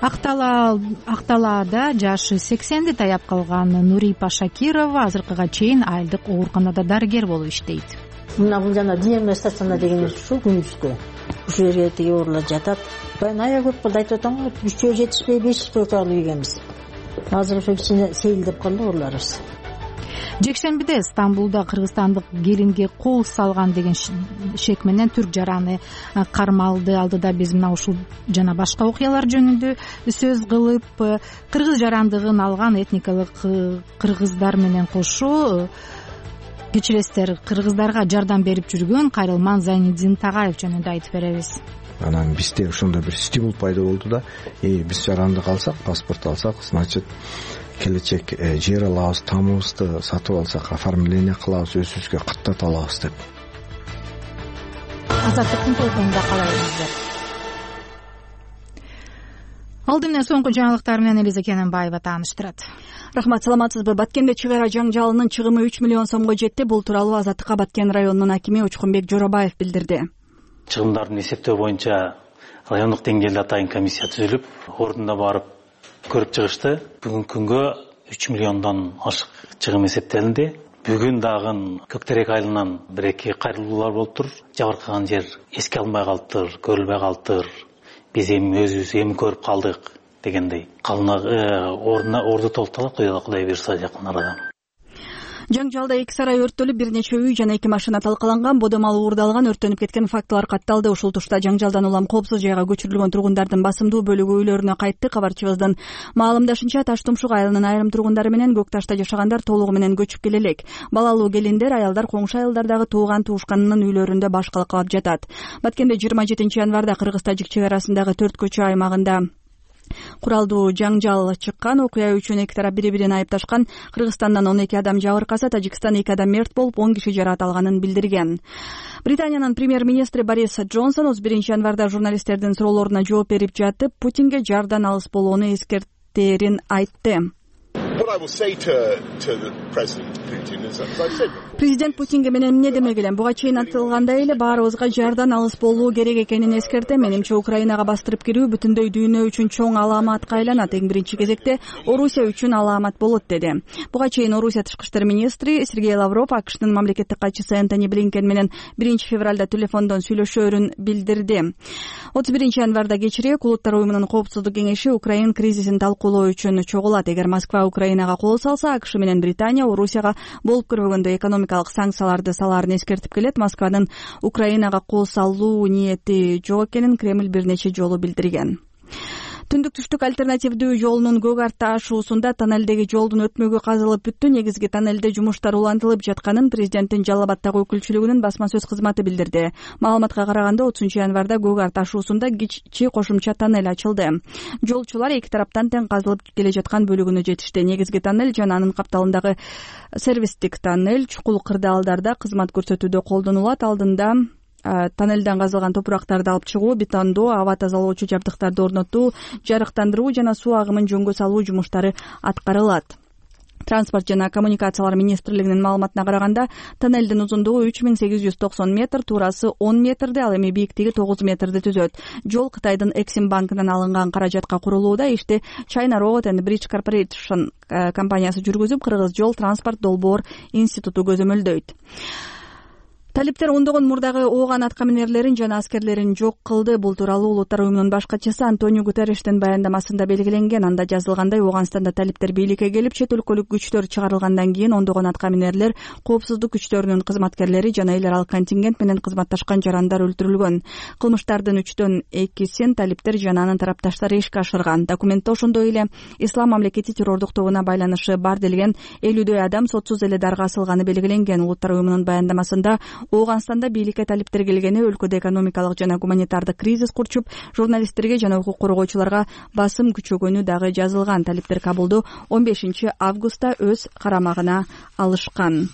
Акталаада жашы сексенди таяп калган Нурипа Шакирова азыркыга чейин айылдык ооруканада дарыгер болуп иштейт. Мына бул жана дневная стационар деген ушул күнүзгү ушул жерге тиги оорулар жатат. Баягы көп кылды айтып атам го, үчөө жетишпей беш төрт алып ийгенбиз. Азыр ошо кичине сейилдеп калды ооруларыбыз. Жекшембиде Стамбулда кыргызстандык келинге кол салган деген шек менен түрк жараны кармалды. Алдыда биз мына ушул жана башка окуялар жөнүндө сөз кылып, кыргыз жарандыгын алган этникалык кыргыздар менен кошо кечиресиздер, кыргыздарга жардам берип жүргөн Кайрылман Зайниддин Тагаев жөнүндө айтып беребиз. Анан бизде ошондой бир стимул пайда болду да, э биз жарандык алсак, паспорт алсак, значит келечек жер алабыз, тамыбызды сатып алсак, оформление кылабыз, өзүбүзгө каттата алабыз деп. Азаттыктын толкунунда калабыздар. Алды менен соңку жаңылыктар менен Элиза Кененбаева тааныштырат. Рахмат, саламатсызбы? Баткенде чыгара ара жаңжалынын чыгымы үч миллион сомго жетти. Бул тууралуу Азаттыкка Баткен районунун акими Учкунбек Жоробаев билдирди. Чыгымдардын эсептөө боюнча райондук деңгээлде атайын комиссия түзүлүп, ордунда барып көрүп чыгышты. Бүгүнкү күнгө үч миллиондон ашык чыгым эсептелинди. Бүгүн дагы Көктерек айылынан бир эки кайрылуулар болуптур. Жабыркаган жер эске алынбай калыптыр, көрүлбөй калыптыр. Биз эми өзүбүз эми көрүп калдык дегендей. Калына ордуна орду толтуралып коелу, Кудай буйрса жакын арада. Жаңжалда эки сарай өрттөлүп, бир нече үй жана эки машина талкаланган, бодомал уурдалган, өрттөнүп кеткен фактылар катталды. Ушул тушта жаңжалдан улам коопсуз жайга көчүрүлгөн тургундардын басымдуу бөлүгү үйлөрүнө кайтты. Кабарчыбыздын маалымдашынча, Таш Тумшук айылынын айрым тургундары менен Көк Ташта жашагандар толугу менен көчүп келе элек. Балалуу келиндер, аялдар коңшу айылдардагы тууган туушканынын үйлөрүндө баш калкалап жатат. Баткенде жыйырма жетинчи январда Кыргыз-Тажик чек арасындагы төрт көчө аймагында куралдуу жаңжал чыккан. Окуя үчүн эки тарап бири-бирин айыпташкан. Кыргызстандан он эки адам жабыркаса, Тажикстан эки адам мерт болуп, он киши жаракат алганын билдирген. Британиянын премьер-министри Борис Джонсон отуз биринчи январда журналисттердин суроолоруна жооп берип жатып, Путинге жардан алыс болууну эскертерин айтты. Президент Путинге мен эмне демек элем? Буга чейин айтылгандай эле баарыбызга жардан алыс болуу керек экенин эскертем. Менимче Украинага бастырып кирүү бүтүндөй дүйнө үчүн чоң аламатка айланат. Эң биринчи кезекте Орусия үчүн аламат болот, деди. Буга чейин Орусия тышкы иштер министри Сергей Лавров АКШнын мамлекеттик катчысы Энтони Блинкен менен биринчи февралда телефондон сүйлөшөөрүн билдирди. отуз биринчи январда кечирээк Улуттар уюмунун коопсуздук кеңеши Украин кризисин талкуулоо үчүн чогулат. Эгер Москва Украинага кол салса, АКШ менен Британия Орусияга болуп көрбөгөндөй экономикалык санкцияларды салаарын эскертип келет. Москванын Украинага кол салуу ниети жок экенин Кремль бир нече жолу билдирген. Түндүк-түштүк альтернативдүү жолунун Көк Арта ашуусунда тоннелдеги жолдун өтмөгү казылып бүттү. Негизги тоннелде жумуштар улантылып жатканын президенттин Жалал Абаддагы өкүлчүлүгүнүн басма сөз кызматы билдирди. Маалыматка караганда отузунчу январда Көк Арта ашуусунда кичи кошумча тоннель ачылды. Жолчулар эки тараптан тең казылып келе жаткан бөлүгүнө жетишти. Негизги тоннель жана анын капталындагы сервистик тоннель чукул кырдаалдарда кызмат көрсөтүүдө колдонулат. Алдында тоннелден казылган топурактарды алып чыгуу, бетондоо, аба тазалоочу жабдыктарды орнотуу, жарыктандыруу жана суу агымын жөнгө салуу жумуштары аткарылат. Транспорт жана коммуникациялар министрлигинин маалыматына караганда, тоннелдин узундугу үч миң сегиз жүз токсон метр, туурасы он метрди, ал эми бийиктиги тогуз метрди түзөт. Жол Кытайдын Эксим банкынан алынган каражатка курулууда. Ишти China Road and Bridge Corporation компаниясы жүргүзүп, Кыргыз жол транспорт долбоор институту көзөмөлдөйт. Талиптер ондогон мурдагы ооган аткаминерлерин жана аскерлерин жок кылды. Бул тууралуу Улуттар уюмунун баш катчысы Антонио Гутерриштин баяндамасында белгиленген. Анда жазылгандай, Ооганстанда талиптер бийликке келип, чет өлкөлүк күчтөр чыгарылгандан кийин ондогон аткаминерлер, коопсуздук күчтөрүнүн кызматкерлери жана эл аралык контингент менен кызматташкан жарандар өлтүрүлгөн. Кылмыштардын үчтөн экисин талиптер жана анын тарапташтары ишке ашырган. Документте ошондой эле Ислам мамлекети террордук тобуна байланышы бар делген элүүдөй адам сотсуз эле дарга асылганы белгиленген. Улуттар уюмунун баяндамасында Ооганстанда бийликке талиптер келгени, өлкөдө экономикалык жана гуманитардык кризис курчуп, журналисттерге жана укук коргоочуларга басым күчөгөнү дагы жазылган. Талиптер Кабулду он бешинчи августта өз карамагына алышкан.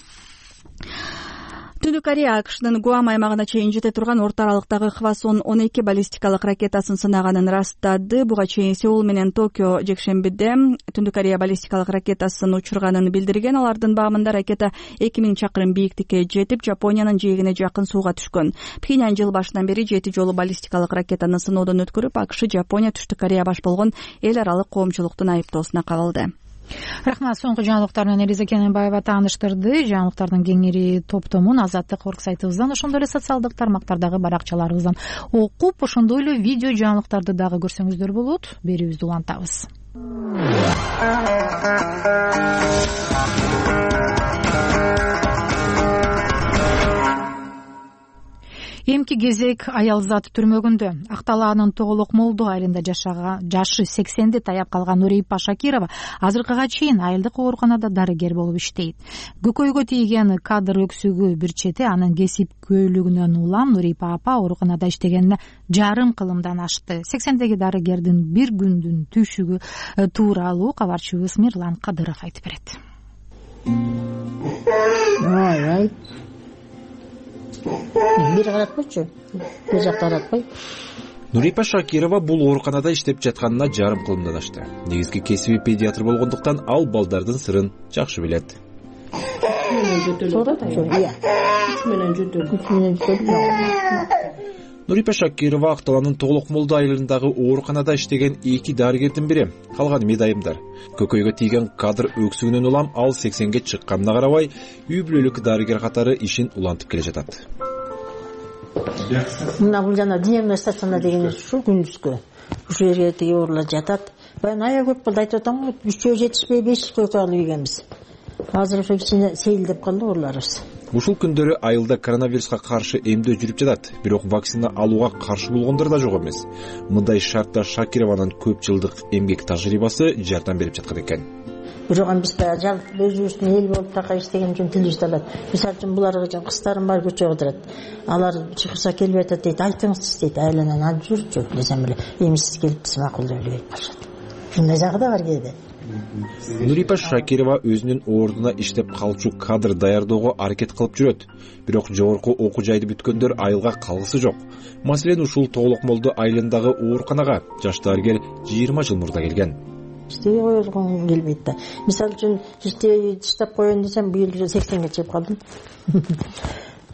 Түндүк Корея АКШнын Гуам аймагына чейин жете турган орто аралыктагы Хвасон он эки баллистикалык ракетасын сынаганын ырастады. Буга чейин Сеул менен Токио жекшембиде Түндүк Корея баллистикалык ракетасын учурганын билдирген. Алардын багымында ракета эки миң чакырым бийиктикке жетип, Жапониянын жээгине жакын сууга түшкөн. Пхеньян жыл башынан бери жети жолу баллистикалык ракетаны сыноодон өткөрүп, АКШ Жапония Түштүк Корея баш болгон эл аралык коомчулуктун айыптоосуна кабылды. Рахмат. Соңку жаңылыктар менен Элиза Кененбаева тааныштырды. Жаңылыктардын кеңири топтомун Азаттык орг сайтыбыздан, ошондой эле социалдык тармактардагы баракчаларыбыздан окуп, ошондой эле видео жаңылыктарды дагы көрсөңүздөр болот. Берүүбүздү улантабыз. Эмки кезек аялзат түрмөгүндө. Акталаанын Тоголок Молдо айылында жашаган жашы сексенди таяп калган Нурипа Шакирова азыркыга чейин айылдык ооруканада дарыгер болуп иштейт. Көкөйгө тийген кадр өксүгү бир чети анын кесипкөйлүгүнөн улам Нурипа апа ооруканада иштегенине жарым кылымдан ашты. сексендеги дарыгердин бир күндүн түшүгү тууралуу кабарчыбыз Мирлан Кадыров айтып берет. Ай-ай. Бир каратпайчы, бир жакта каратпай. Нурипа Шакирова бул ооруканада иштеп жатканына жарым кылымдан ашты. Негизги кесиби педиатр болгондуктан ал балдардын сырын жакшы билет. Нурипа Шакирова Акталаанын Тоголок Молдо айылындагы ооруканада иштеген эки дарыгердин бири. Калганы медайымдар. Көкөйгө тийген кадр өксүгүнөн улам ал сексенге чыкканына карабай, үй бүлөлүк дарыгер катары ишин улантып келе жатат. Мына бул жана диагностикасына деген ушул күндүзгө. Ушул жерге тиги оорулар жатат. Баягы ая көп болду айтып атам го, үчөө жетишпей беш койко алып ийгенбиз. Азыр ошо кичине сейилдеп калды ооруларыбыз. Ушул күндөрү айылда коронавируска каршы эмдөө жүрүп жатат, бирок вакцина алууга каршы болгондор да жок эмес. Мындай шартта Шакированын көп жылдык эмгек тажрыйбасы жардам берип жаткан экен. Бирок биз жалп өзүбүздүн эл болуп така иштеген үчүн тилибизди алат. Мисалы үчүн буларга кыздарым бар көчөгө отурат. Алар чыгышса келип атат дейт, айтыңыз дейт, айланан алып жүрчү десем эле, эми сиз келипсиз макул деп эле келип калышат. Ушундай жагы да бар кээде. Нурипа Шакирова өзүнүн ордуна иштеп калчу кадр даярдоого аракет кылып жүрөт. Бирок жогорку окуу жайды бүткөндөр айылга калгысы жок. Маселен, ушул Тоголок Молдо айылындагы ооруканага жаш дарыгер жыйырма жыл мурда келген. Иштебей койгум келбейт да. Мисалы үчүн иштебей иштеп коеюн десем, быйыл сексенге чыгып калдым.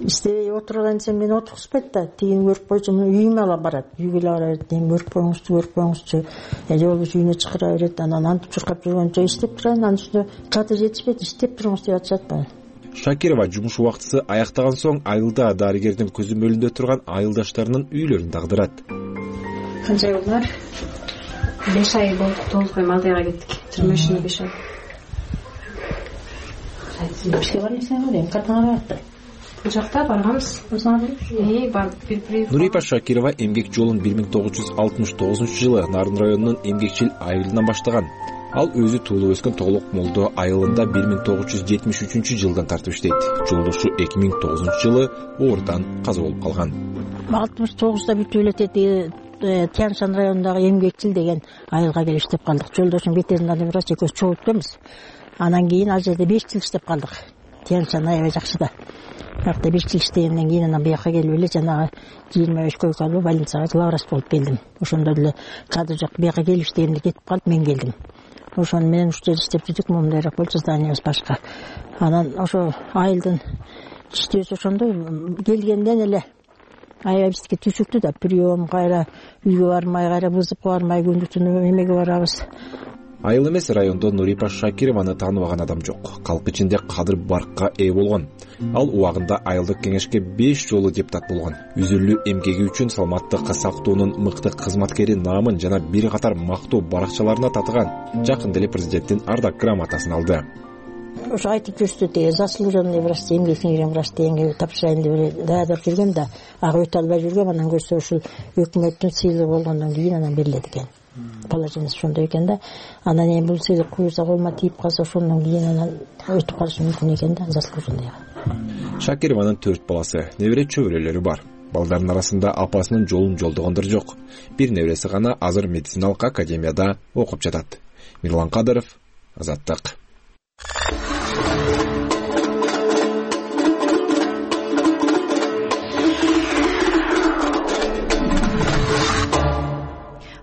Иштебей отурган десем, мени отургузбайт да. Тигин көрүп койчу, үйүмө ала барат. Үйгө ала барат, эми көрүп коюңузчу, көрүп коюңузчу. Жолубуз үйүнө чакыра берет, анан антып чуркап жүргөнчө иштеп турайын, анын үстүнө кадыр жетишпейт, иштеп туруңуз деп атышат баа. Шакирова жумуш убактысы аяктаган соң айылда дарыгердин көзөмөлүндө турган айылдаштарынын үйлөрүн дагдырат. Канча ай болду? беш ай болду, толук эми Алдайга кеттик. жыйырма үчүнө беш ай. Бизге бармысың эле, картаңа барды. Бул жакта барганбыз. Э, бир-бир. Нурипа Шакирова эмгек жолун бир миң тогуз жүз алтымыш тогузунчу жылы Нарын районунун эмгекчил айылынан баштаган. Ал өзү туулуп өскөн Тоголок Молдо айылында бир миң тогуз жүз жетимиш үчүнчү жылдан тартып иштейт. Жолдошу эки миң тогузунчу жылы оорудан каза болуп калган. алтымыш тогузда бүтүп эле Тяншан районундагы эмгекчил деген айылга келип иштеп калдык. Жолдошум ветеринарный врач экөөбүз чогулуп келбиз. Анан кийин ал жерде беш жыл иштеп калдык. Тяншан аябай жакшы да. Бирок беш жыл иштегенден кийин анан буяка келип эле жанагы жыйырма беш койкалуу больницага главврач болуп келдим. Ошондо деле кадр жок, буяка келип иштегенде кетип калып мен келдим. Ошону менен үч жыл иштеп жүрдүк, мондайраак болчу, зданиябыз башка. Анан ошо айылдын иштөөсү ошондой келгенден эле аябай бизге түшүктү да, прием кайра үйгө бармай, кайра вызовко бармай, күндү-түнү эмеге барабыз. Айыл эмес райондо Нурипа Шакированы тааныбаган адам жок. Калк ичинде кадыр баркка ээ болгон. Ал убагында айылдык кеңешке беш жолу депутат болгон. Үзүлүү эмгеги үчүн саламаттык сактоонун мыкты кызматкери наамын жана бир катар мактоо баракчаларына татыган. Жакында эле президенттин ардак грамотасын алды. Ошо айтып жүрүштү, те заслуженный врач, эмгек сиңирген врач дегенге тапшырайын деп даярдап жүргөм да, ага өтө албай жүргөм. Анан көрсө ушул өкмөттүн сыйлыгы болгондон кийин анан берилет экен. Положениеси ошондой экен да. Анан эми бул сыйлык куюрса колума тийип калса, ошондон кийин анан өтүп калышы мүмкүн экен да, заслуженныйга. Шакированын төрт баласы, небере чөбүрөлөрү бар. Балдардын арасында апасынын жолун жолдогондор жок. Бир небереси гана азыр медициналык академияда окуп жатат. Мирлан Кадыров, Азаттык.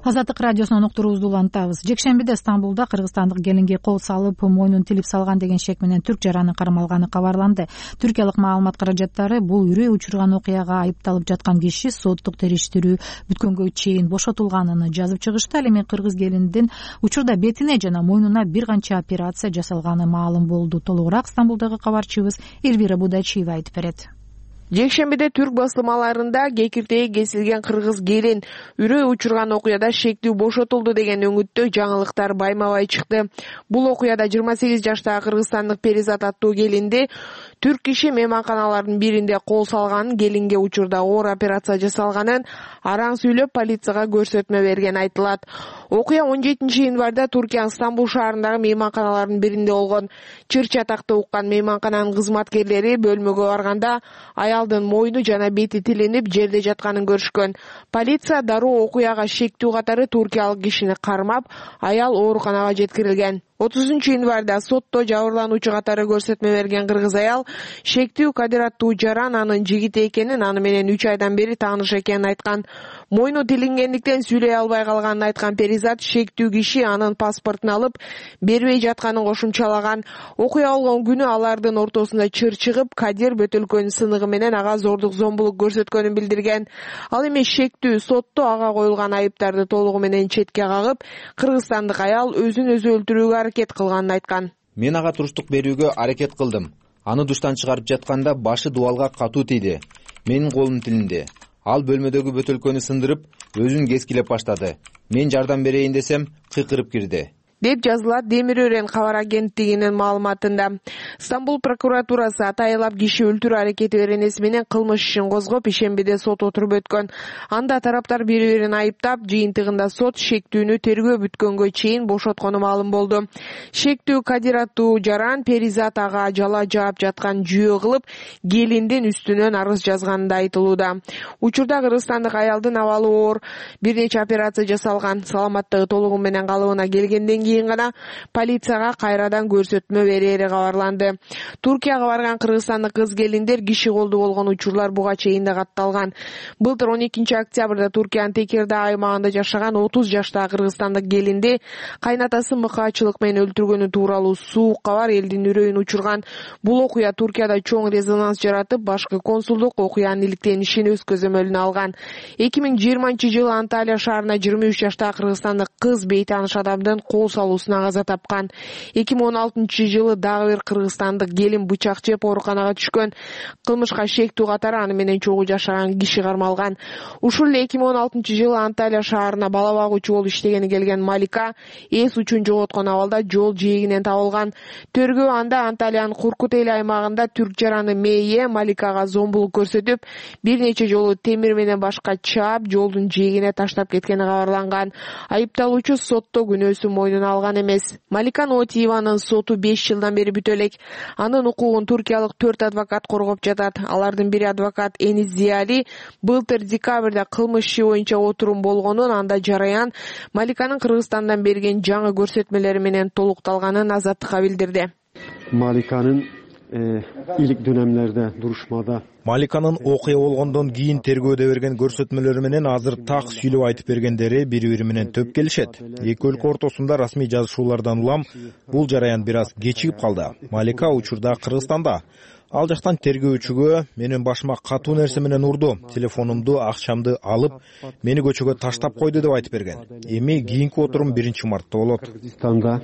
Азаттык радиосунун уктуруубузду улантабыз. Жекшембиде Стамбулда кыргызстандык келинге кол салып, мойнун тилип салган деген шек менен түрк жаранын кармалганы кабарланды. Түркиялык маалымат каражаттары бул үрөй учурган окуяга айыпталып жаткан киши соттук териштирүү бүткөнгө чейин бошотулганын жазып чыгышты. Ал эми кыргыз келиндин учурда бетине жана мойнуна бир канча операция жасалганы маалым болду. Толугураак Стамбулдагы кабарчыбыз Эльвира Будачиева айтып берет. Жекшембиде түрк басылмаларында кекиртеги кесилген кыргыз келин үрөй учурган окуяда шектүү бошотулду деген өңүттө жаңылыктар байма-бай чыкты. Бул окуяда жыйырма сегиз жаштагы кыргызстандык Перизат аттуу келинди түрк киши мейманканалардын биринде кол салганын, келинге учурда оор операция жасалганын араң сүйлөп полицияга көрсөтмө берген айтылат. Окуя он жетинчи январда Туркиянын Стамбул шаарындагы мейманканалардын биринде болгон. Чыр чатакты уккан мейманкананын кызматкерлери бөлмөгө барганда аялдын мойну жана бети тилинип жерде жатканын көрүшкөн. Полиция дароо окуяга шектүү катары туркиялык кишини кармап, аял ооруканага жеткирилген. отузунчу январда сотто жабырлануучу катары көрсөтмө берген кыргыз аял шектүү Кадир аттуу жаран анын жигити экенин, аны менен үч айдан бери тааныш экенин айткан. Мойну тилингендиктен сүйлөй албай калганын айткан Перизат шектүү киши анын паспортун алып бербей жатканын кошумчалаган. Окуя болгон күнү алардын ортосунда чыр чыгып, Кадир бөтөлкөнүн сыныгы менен ага зордук зомбулук көрсөткөнүн билдирген. Ал эми шектүү сотто ага коюлган айыптарды толугу менен четке кагып, кыргызстандык аял өзүн өзү өлтүрүүгө аракет кылганын айткан. Мен ага туруштук берүүгө аракет кылдым. Аны душтан чыгарып жатканда башы дубалга катуу тийди. Менин колум тилинде. Ал бөлмөдөгү бөтөлкөнү сындырып, өзүн кескилеп баштады. Мен жардам берейин десем, кыйкырып кирди, деп жазылат Демир Өрен кабар агенттигинин маалыматында. Стамбул прокуратурасы атайылап киши өлтүрүү аракети беренеси менен кылмыш ишин козгоп, ишембиде сот отуруп өткөн. Анда тараптар бири-бирин айыптап, жыйынтыгында сот шектүүнү тергөө бүткөнгө чейин бошоткону маалым болду. Шектүү Кадир аттуу жаран Перизат ага жала жаап жаткан жүйө кылып, келиндин үстүнөн арыз жазганы да айтылууда. Учурда кыргызстандык аялдын абалы оор, бир нече операция жасалган, саламаттыгы толугу менен калыбына келгенден кийин гана полицияга кайрадан көрсөтмө берери кабарланды. Туркияга барган кыргызстандык кыз келиндер киши колду болгон учурлар буга чейин да катталган. Былтыр он экинчи октябрда Туркиянын Текирдаа аймагында жашаган отуз жаштагы кыргызстандык келинди кайнатасы мыкаачылык менен өлтүргөнү тууралуу суук кабар элдин үрөйүн учурган. Бул окуя Туркияда чоң резонанс жаратып, башкы консулдук окуянын иликтенишин өз көзөмөлүнө алган. эки миң жыйырманчы жылы Анталия шаарына жыйырма үч жаштагы кыргызстандык кыз бейтааныш адамдын кол салуусуна каза тапкан. эки миң он алтынчы жылы дагы бир кыргызстандык келин бычак жеп ооруканага түшкөн. Кылмышка шектүү катары аны менен чогуу жашаган киши кармалган. Ушул эле эки миң он алтынчы жылы Анталия шаарына бала багуучу болуп иштегени келген Малика эс учун жоготкон абалда жол жээгинен табылган. Тергөө анда Анталиянын Куркутели аймагында түрк жараны Мейе Маликага зомбулук көрсөтүп, бир нече жолу темир менен башка чаап, жолдун жээгине таштап кеткени кабарланган. Айыпталуучу сотто күнөөсүн мойнуна алган эмес. Малика Нотиеванын соту беш жылдан бери бүтө элек. Анын укугун туркиялык төрт адвокат коргоп жатат. Алардын бири адвокат Эниз Зиали былтыр декабрда кылмыш иши боюнча отурум болгонун, анда жараян Маликанын Кыргызстандан берген жаңы көрсөтмөлөрү менен толукталганын Азаттыкка билдирди. Маликанын илик dönemlerde duruşmada Маликанын окуя болгондон кийин тергөөдө берген көрсөтмөлөрү менен азыр так сүйлөп айтып бергендери бири-бири менен төп келишет. Эки өлкө ортосунда расмий жазышуулардан улам бул жараян бир аз кечигип калды. Малика учурда Кыргызстанда. Ал жактан тергөөчүгө менин башыма катуу нерсе менен урду, телефонумду, акчамды алып, мени көчөгө таштап койду деп айтып берген. Эми кийинки отурум биринчи мартта болот. Кыргызстанда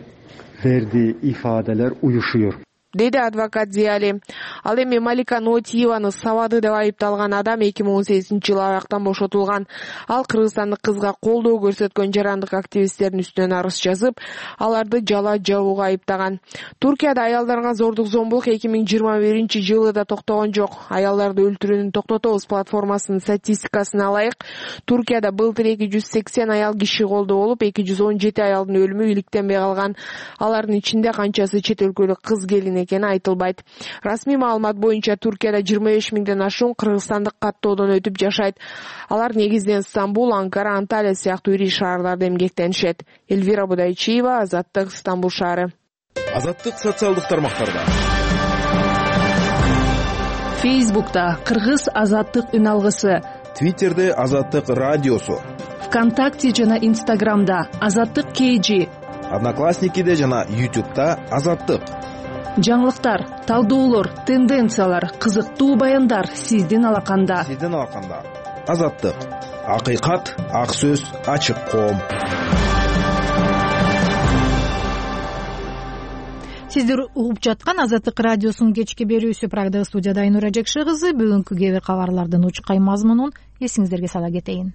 verdiği ifadeler uyuşuyor. Деди адвокат Зиали. Ал эми Малика Нотиеваны сабады деп айыпталган адам эки миң он сегизинчи жылы абактан бошотулган. Ал кыргызстандык кызга колдоо көрсөткөн жарандык активисттердин үстүнөн арыз жазып, аларды жала жабууга айыптаган. Туркияда аялдарга зордук зомбулук эки миң жыйырма биринчи жылы да токтогон жок. Аялдарды өлтүрүүнү токтотобуз платформасынын статистикасына ылайык, Туркияда былтыр эки жүз сексен аял киши колдоо болуп, эки жүз он жети аялдын өлүмү иликтенбей калган. Алардын ичинде канчасы чет өлкөлүк кыз келин экени айтылбайт. Расмий маалымат боюнча Туркияда жыйырма беш миңден ашуун кыргызстандык каттоодон өтүп жашайт. Алар негизинен Стамбул, Анкара, Анталия сыяктуу ири шаарларда эмгектенишет. Эльвира Будайчиева, Азаттык, Стамбул шаары. Азаттык социалдык тармактарда. Фейсбукта Кыргыз Азаттык үн алгысы. Твиттерде Азаттык радиосу. ВКонтакте жана Инстаграмда Азаттык кей жи, Одноклассникиде жана Ютубта Азаттык. Жаңылыктар, талдоолор, тенденциялар, кызыктуу баяндар сиздин алаканда. Сиздин алаканда. Азаттык. Акыйкат, ак сөз, ачык коом. Сиздер угуп жаткан Азаттык радиосунун кечки берүүсү. Программада студияда Айнура Жекше кызы. Бүгүнкү кээ бир кабарлардын учкай мазмунун эсиңиздерге сала кетейин.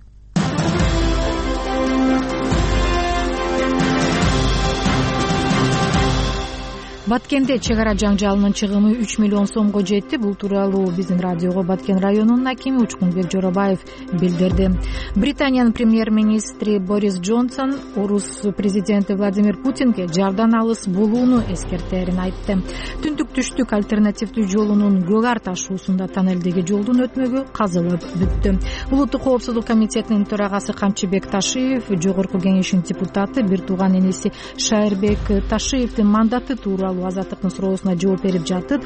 Баткенде чек ара жаңжалынын чыгымы үч миллион сомго жетти. Бул тууралуу биздин радиого Баткен районунун акими Учкунбек Жоробаев билдирди. Британиянын премьер-министри Борис Джонсон орус президенти Владимир Путинге жардан алыс болууну эскертерин айтты. Түндүк-түштүк альтернативдүү жолунун көк ар ташуусунда тоннелдеги жолдун өтмөгү казылып бүттү. Улуттук коопсуздук комитетинин төрагасы Камчыбек Ташиев, жогорку кеңештин депутаты бир тууган энеси Шайырбек Ташиевдин мандаты тууралуу Азаттыктын суроосуна жооп берип жатып,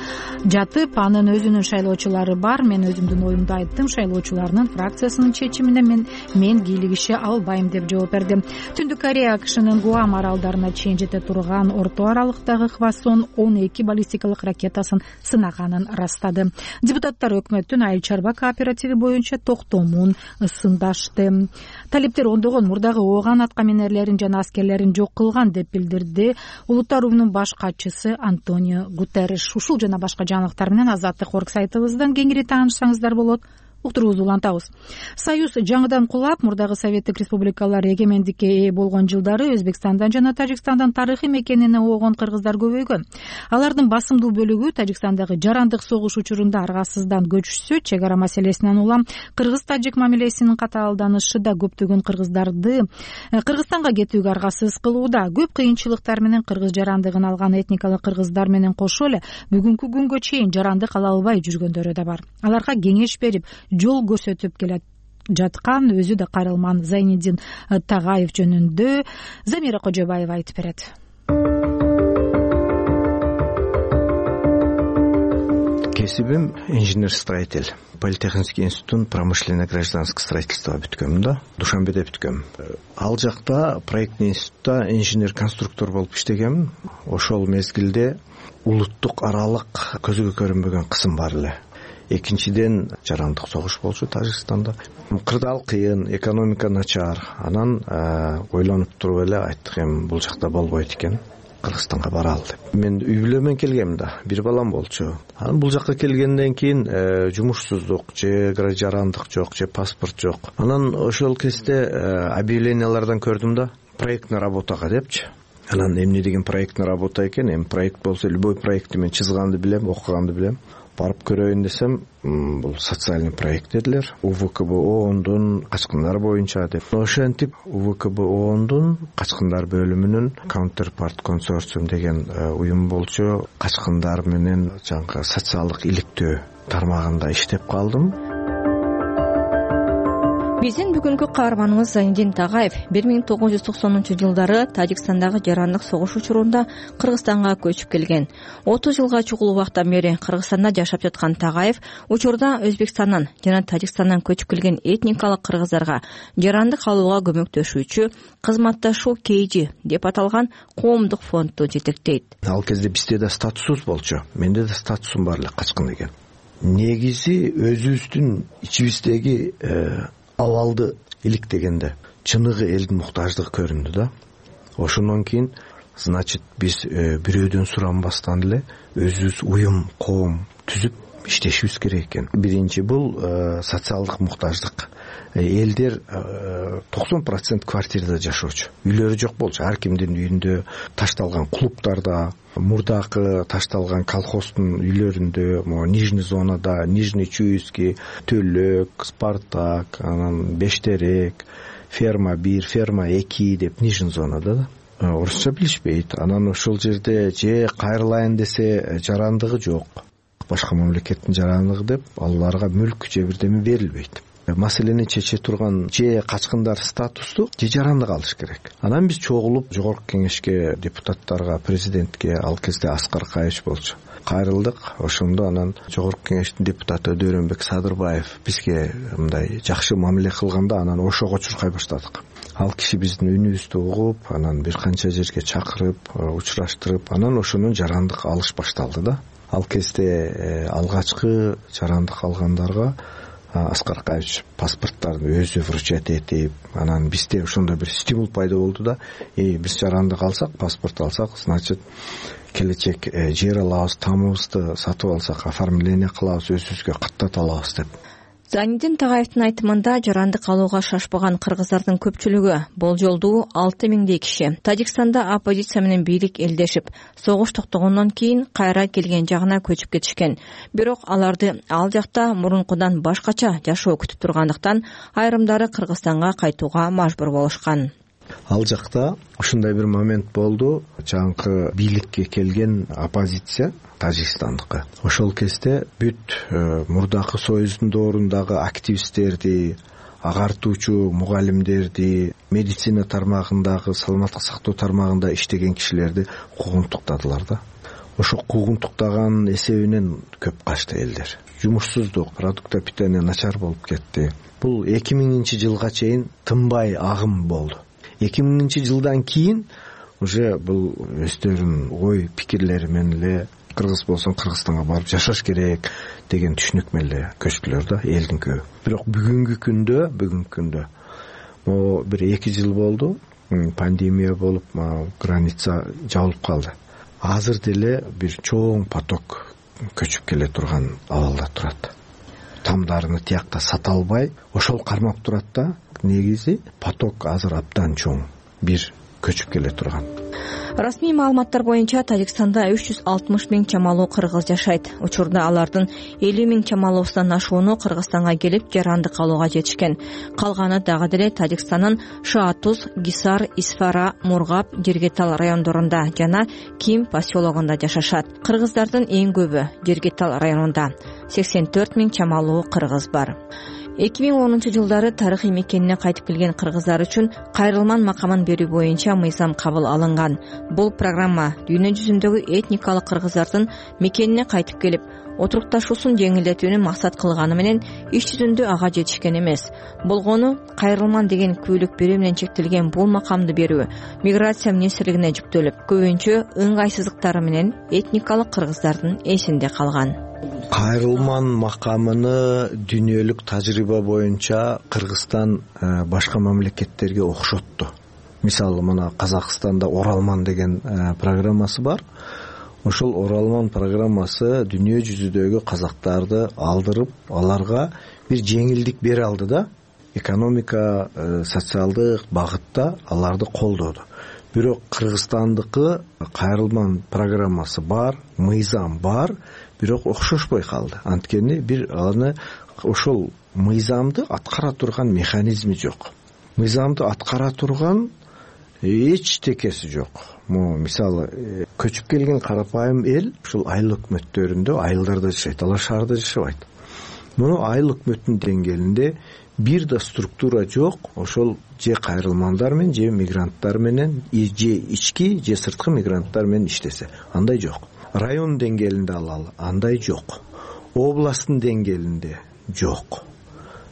жатып, анын өзүнүн шайлоочулары бар. Мен өзүмдүн оюмду айттым. Шайлоочуларынын фракциясынын чечимине мен мен кийлигише албайм деп жооп берди. Түндүк Корея АКШнын Гуам аралдарына чейин жете турган орто аралыктагы Хвасон он эки баллистикалык ракетасын сынаганын ырастады. Депутаттар өкмөттүн айыл чарба кооперативи боюнча токтомун сындашты. Талиптер ондогон мурдагы ооган аткаминерлерин жана аскерлерин жок кылган деп билдирди Улуттар уюмунун баш катчысы Антонио Гутерриш. Ушул жана башка жаңылыктар менен Азаттык орг сайтыбыздан кеңири таанышсаңыздар болот. Уктуруубузду улантабыз. Союз жаңыдан кулап, мурдагы Советтик республикалар эгемендикке ээ болгон жылдары Өзбекстандан жана Тажикстандан тарыхый мекенине оогон кыргыздар көбөйгөн. Алардын басымдуу бөлүгү Тажикстандагы жарандык согуш учурунда аргасыздан көчүшсө, чек ара маселесинен улам кыргыз-тажик мамилесинин катаалданышы да көптөгөн кыргыздарды Кыргызстанга кетүүгө аргасыз кылууда. Көп кыйынчылыктар менен кыргыз жарандыгын алган этникалык кыргыздар менен кошо эле бүгүнкү күнгө чейин жарандык ала албай жүргөндөрү да бар. Аларга кеңеш берип, жол көрсөтүп келет жаткан өзү да кайрылман Зайниддин Тагаев жөнүндө Замира Кожобаева айтып берет. Кесибим инженер-строитель. Политехнический институт промышленно-гражданское строительство бүткөм да. Душанбеде бүткөм. Ал жакта проектный институтта инженер-конструктор болуп иштегем. Ошол мезгилде улуттук аралык көзгө көрүнбөгөн кысым бар эле. Экинчиден жарандык согуш болчу Тажикстанда. Кырдаал кыйын, экономика начар. Анан ойлонуп туруп эле айттык, эми бул жакта болбойт экен. Кыргызстанга баралы деп. Мен үй бүлө менен келгем да, бир балам болчу. Анан бул жакка келгенден кийин жумушсуздук, же жарандык жок, же паспорт жок. Анан ошол кезде объявлениялардан көрдүм да, проектный работага депчи. Анан эмне деген проектный работа экен? Эми проект болсо, любой проектти мен чызганды билем, окуганды билем. Барып көрөйүн десем, бул социальный проект дедилер. УВКБОндун качкындар боюнча деп. Ошентип УВКБОндун качкындар бөлүмүнүн Counterpart консорциум деген уюм болчу. Качкындар менен жаңы социалдык иликтөө тармагында иштеп калдым. Биздин бүгүнкү каарманыбыз Зайниддин Тагаев бир миң тогуз жүз токсонунчу жылдары Тажикстандагы жарандык согуш учурунда Кыргызстанга көчүп келген. отуз жылга чукул убактан бери Кыргызстанда жашап жаткан Тагаев учурда Өзбекстандан жана Тажикстандан көчүп келген этникалык кыргыздарга жарандык алууга көмөктөшүүчү кызматташуу кей жи деп аталган коомдук фондду жетектейт. Ал кезде бизде да статусубуз болчу. Менде да статусум бар эле, качкын деген. Негизи өзүбүздүн ичибиздеги абалды иликтегенде чыныгы элдин муктаждыгы көрүндү да. Ошондон кийин, значит, биз бирөөдөн суранбастан эле өзүбүз уюм, коом түзүп иштешибиз керек экен. Биринчи бул социалдык муктаждык. Элдер токсон процент квартирада жашоочу. Үйлөрү жок болчу. Ар кимдин үйүндө ташталган клубтарда, мурдакы ташталган колхоздун үйлөрүндө, могу Нижний зонада, Нижний Чуйский, Төлөк, Спартак, анан Бештерек, ферма бир, ферма эки деп Нижний зонада да. Орусча билишпейт. Анан ошол жерде же кайрылайын десе жарандыгы жок. Башка мамлекеттин жарандыгы деп аларга мүлк же бирдеме берилбейт. маселени чече турган же качкындар статусту же жарандык алыш керек. Анан биз чогулуп жогорку кеңешке, депутаттарга, президентке, ал кезде Аскар Каевич болчу, кайрылдык. Ошондо анан жогорку кеңештин депутаты Дөрөнбек Садырбаев бизге мындай жакшы мамиле кылганда анан ошого чуркай баштадык. Ал киши биздин үнүбүздү угуп, анан бир канча жерге чакырып, учураштырып, анан ошонун жарандык алыш башталды да. Ал кезде алгачкы жарандык алгандарга Аскар Каевич паспорттарды өзү вручать этип, анан бизде ошондой бир стимул пайда болду да. И биз жарандык алсак, паспорт алсак, значит келечек жер алабыз, тамыбызды сатып алсак, оформление кылабыз, өзүбүзгө каттата алабыз деп. Зайнидин Тагаевдин айтымында жарандык алууга шашпаган кыргыздардын көпчүлүгү, болжолдуу алты миңдей киши Тажикстанда оппозиция менен бийлик элдешип, согуш токтогондон кийин кайра келген жагына көчүп кетишкен. Бирок аларды ал жакта мурункудан башкача жашоо күтүп тургандыктан айрымдары Кыргызстанга кайтууга мажбур болушкан. Ал жакта ушундай бир момент болду. Жаңкы бийликке келген оппозиция Тажикстандыкы. Ошол кезде бүт мурдакы союздун доорундагы активисттерди, агартуучу мугалимдерди, медицина тармагындагы, саламаттык сактоо тармагында иштеген кишилерди куугунтуктадылар да. Ошо куугунтуктаган эсебинен көп качты элдер. Жумушсуздук, продукта питания начар болуп кетти. Бул эки миңинчи жылга чейин тынбай агым болду. эки миңинчи жылдан кийин уже бул өздөрүнүн ой пикирлери менен эле кыргыз болсоң Кыргызстанга барып жашаш керек деген түшүнүк менен эле көчтүлөр да элдин көбү. Бирок бүгүнкү күндө, бүгүнкү күндө могу бир эки жыл болду, пандемия болуп, граница жабылып калды. Азыр деле бир чоң поток көчүп келе турган абалда турат. Тамдарыны тиякта сата албай, ошол кармап турат да. Негизи поток азыр абдан чоң бир көчүп келе турган. Расмий маалыматтар боюнча Тажикстанда үч жүз алтымыш миң чамалуу кыргыз жашайт. Учурда алардын элүү миң чамалуусунан ашууну Кыргызстанга келип жарандык алууга жетишкен. Калганы дагы деле Тажикстандын Шаатуз, Гисар, Исфара, Мургап, Жергетал райондорунда жана Ким поселогунда жашашат. Кыргыздардын эң көбү Жергетал районунда сексен төрт миң чамалуу кыргыз бар. эки миң онунчу жылдары тарыхый мекенине кайтып келген кыргыздар үчүн кайрылман макамын берүү боюнча мыйзам кабыл алынган. Бул программа дүйнө жүзүндөгү этникалык кыргыздардын мекенине кайтып келип, отурукташуусун жеңилдетүүнү максат кылганы менен иш жүзүндө ага жетишкен эмес. Болгону кайрылман деген күбөлүк берүү менен чектелген бул макамды берүү миграция министрлигине жүктөлүп, көбүнчө ыңгайсыздыктары менен этникалык кыргыздардын эсинде калган. Кайрылман макамыны дүйнөлүк тажрыйба боюнча Кыргызстан башка мамлекеттерге окшотту. Мисалы мына Казакстанда Оралман деген программасы бар. Ошол Оралман программасы дүйнө жүзүдөгү казактарды алдырып, аларга бир жеңилдик бере алды да. Экономика, социалдык багытта аларды колдоду. Бирок Кыргызстандыкы кайрылман программасы бар, мыйзам бар, бирок окшошпой калды. Анткени бир аны ошол мыйзамды аткара турган механизми жок. Мыйзамды аткара турган эч текеси жок. Мо мисалы көчүп келген карапайым эл ушул айыл өкмөттөрүндө, айылдарда жашайт, алар шаарда жашабайт. Муну айыл өкмөттүн деңгээлинде бир да структура жок. Ошол же кайрылмандар менен, же мигранттар менен, же ички, же сырткы мигранттар менен иштесе, андай жок. Район деңгээлинде алалы, андай жок. Областтын деңгээлинде жок.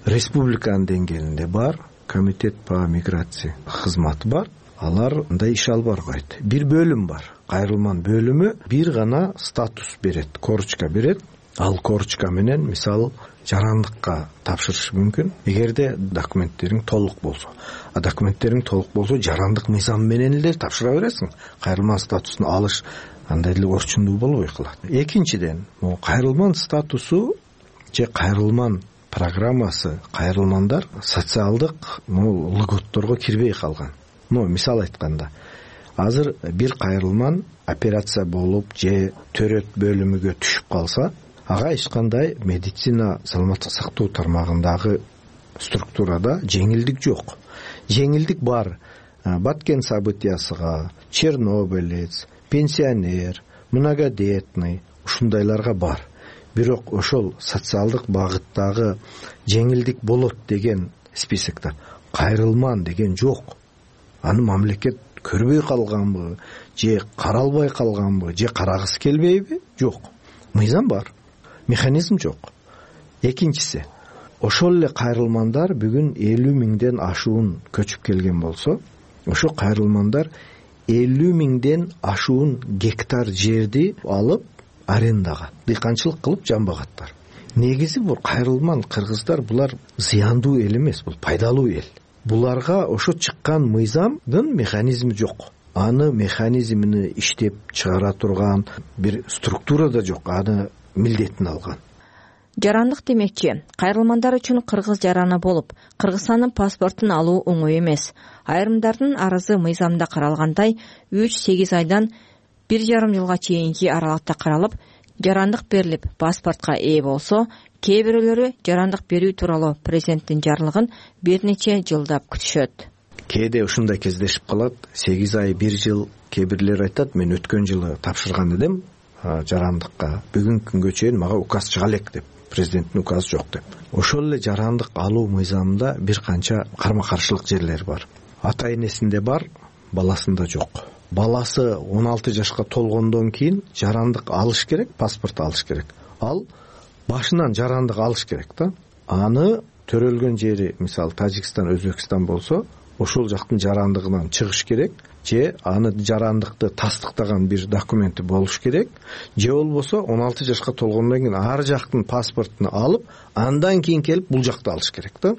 Республиканын деңгээлинде бар, комитет по миграции кызматы бар. Алар андай иш алып барбайт. Бир бөлүм бар. Кайрылман бөлүмү бир гана статус берет, корочка берет. Ал корочка менен мисалы жарандыкка тапшырыш мүмкүн, эгерде документтериң толук болсо. А документтериң толук болсо, жарандык мыйзам менен эле тапшыра бересиң. Кайрылман статусун алыш андай эле орчундуу болбой калат. Экинчиден, могу кайрылман статусу же кайрылман программасы, кайрылмандар социалдык льготторго кирбей калган. Ну, мисал айтканда, азыр бир кайрылман операция болуп же төрөт бөлүмүгө түшүп калса, ага эч кандай медицина, саламаттык сактоо тармагындагы структурада жеңилдик жок. Жеңилдик бар Баткен событиясыга, Чернобылец, пенсионер, многодетный ушундайларга бар. бирок ошол социалдык багыттагы жеңилдик болот деген списокто кайрылман деген жок. Аны мамлекет көрбөй калганбы же каралбай калганбы же карагысы келбейби? Жок. Мыйзам бар, механизм жок. Экинчиси, ошол эле кайрылмандар бүгүн элүү миңден ашуун көчүп келген болсо, ошо кайрылмандар элүү миңден ашуун гектар жерди алып арендага дыйканчылык кылып жамбагаттар. Негизи бул кайрылман кыргыздар булар зыяндуу эл эмес, бул пайдалуу эл. Буларга ошо чыккан мыйзамдын механизми жок. Аны механизмини иштеп чыгара турган бир структура да жок, аны милдетин алган. Жарандык демекчи, кайрылмандар үчүн кыргыз жараны болуп, Кыргызстандын паспортун алуу оңой эмес. Айрымдардын арызы мыйзамда каралгандай үч сегиз айдан бир жарым жылга чейинки аралыкта каралып, жарандык берилип, паспортко ээ болсо, кээ бирөөлөрү жарандык берүү тууралуу президенттин жарлыгын бир нече жылдап күтүшөт. Кээде ушундай кездешип калат, сегиз ай, бир жыл. Кээ бирлер айтат, мен өткөн жылы тапшырган элем жарандыкка, бүгүнкү күнгө чейин мага указ чыга элек деп, президенттин указы жок деп. Ошол эле жарандык алуу мыйзамында бир канча карма каршылык жерлер бар. Ата энесинде бар, баласында жок. Баласы он алты жашка толгондон кийин жарандык алыш керек, паспорт алыш керек. Ал башынан жарандык алыш керек да. Аны төрөлгөн жери, мисалы Тажикстан, Өзбекстан болсо, ошол жактын жарандыгынан чыгыш керек, же аны жарандыкты тастыктаган бир документи болуш керек, же болбосо он алты жашка толгондон кийин ар жактын паспортун алып, андан кийин келип бул жакта алыш керек да.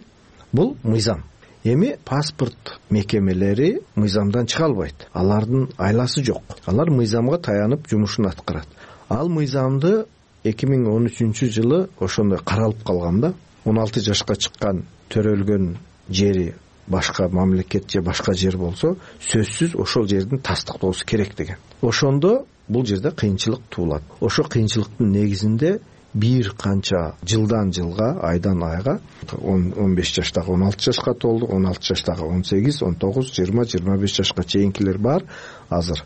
Бул мыйзам. Эми паспорт мекемелери мыйзамдан чыга албайт. Алардын айласы жок. Алар мыйзамга таянып жумушун аткарат. Ал мыйзамды эки миң он үчүнчү жылы ошондой каралып калган да. он алты жашка чыккан төрөлгөн жери башка мамлекет же башка жер болсо, сөзсүз ошол жердин тастыктоосу керек деген. Ошондо бул жерде кыйынчылык туулат. Ошо кыйынчылыктын негизинде бир канча жылдан жылга, айдан айга, он беш жаштагы он алты жашка толду, он алты жаштагы он сегиз, он тогуз, жыйырма, жыйырма беш жашка чейинкилер бар. Азыр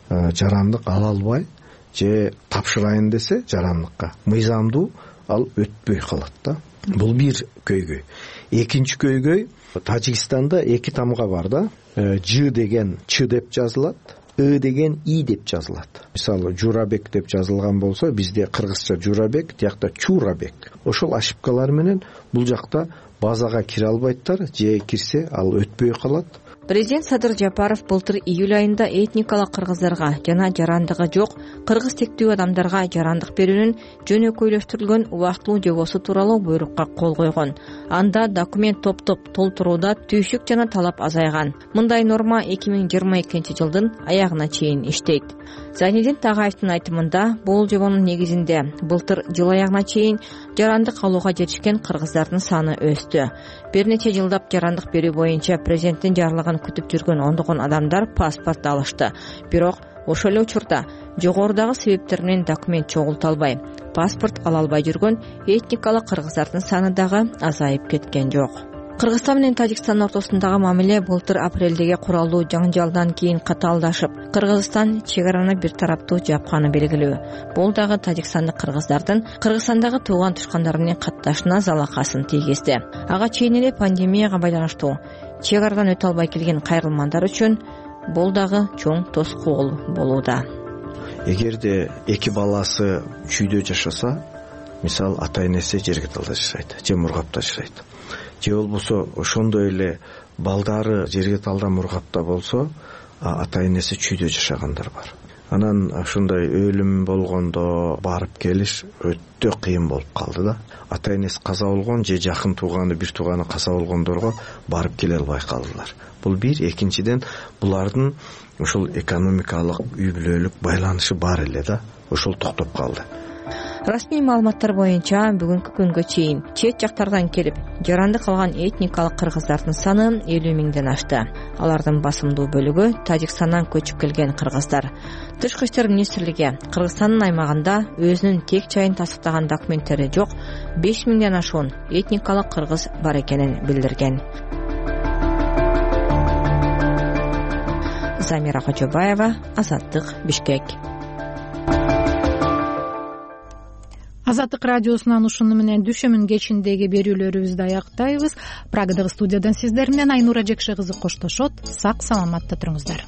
жарандык ала албай же тапшырайын десе жарандыкка мыйзамдуу ал өтпөй калат да. Бул бир көйгөй. Экинчи көйгөй, Тажикстанда эки тамга бар да. Ж деген Ч деп жазылат, Ы деген И деп жазылат. Мисалы Журабек деп жазылган болсо, бизде кыргызча Журабек, тиякта Чурабек. Ошол ошибкалар менен бул жакта базага кире албайттар, же кирсе ал өтпөй калат. Президент Садыр Жапаров былтыр июль айында этникалык кыргыздарга жана жарандыгы жок кыргыз тектүү адамдарга жарандык берүүнүн жөнөкөйлөштүрүлгөн убактылуу жобосу тууралуу буйрукка кол койгон. Анда документ топтоп толтурууда түйшүк жана талап азайган. Мындай норма эки миң жыйырма экинчи жылдын аягына чейин иштейт. Зайнидин Тагаевдин айтымында, бул жобонун негизинде былтыр жыл аягына чейин жарандык алууга жетишкен кыргыздардын саны өстү. Бир нече жылдап жарандык берүү боюнча президенттин жарлыгын күтүп жүргөн ондогон адамдар паспорт алышты. Бирок ошол эле учурда жогорудагы себептер менен документ чогулталбай, паспорт ала албай жүргөн этникалык кыргыздардын саны дагы азайып кеткен жок. Кыргызстан менен Тажикстан ортосундагы мамиле былтыр апрелдеги куралдуу жаңжалдан кийин катаалдашып, Кыргызстан чек араны бир тараптуу жапканы белгилүү. Бул дагы тажикстандык кыргыздардын Кыргызстандагы тууган тушкандары менен катташына залакасын тийгизди. Ага чейин эле пандемияга байланыштуу чек арадан өтө албай келген кайрылмандар үчүн бул дагы чоң тоскоол болууда. Эгерде эки баласы чүйдө жашаса, мисалы ата энеси жерге талда жашайт, же мургапта жашайт. Же болбосо ошондой эле балдары жерге талда мургапта болсо, ата энеси чүйдө жашагандар бар. Анан ошондой өлүм болгондо барып келиш өтө кыйын болуп калды да. Ата энеси каза болгон же жакын тууганы, бир тууганы каза болгондорго барып келе албай калдылар. Бул бир. Экинчиден, булардын ошол экономикалык үй бүлөлүк байланышы бар эле да, ошол токтоп калды. Расмий маалыматтар боюнча бүгүнкү күнгө чейин чет жактардан келип жарандык алган этникалык кыргыздардын саны элүү миңден ашты. Алардын басымдуу бөлүгү Тажикстандан көчүп келген кыргыздар. Тышкы иштер министрлиги Кыргызстандын аймагында өзүнүн тек чайын тастыктаган документтери жок беш миңден ашуун этникалык кыргыз бар экенин билдирген. Замира Кожобаева, Азаттык, Бишкек. Азаттык радиосунан ушуну менен дүшөмүн кечиндеги берүүлөрүбүздү аяктайбыз. Прагадагы студиядан сиздер менен Айнура Жекше кызы коштошот. Сак саламатта туруңуздар.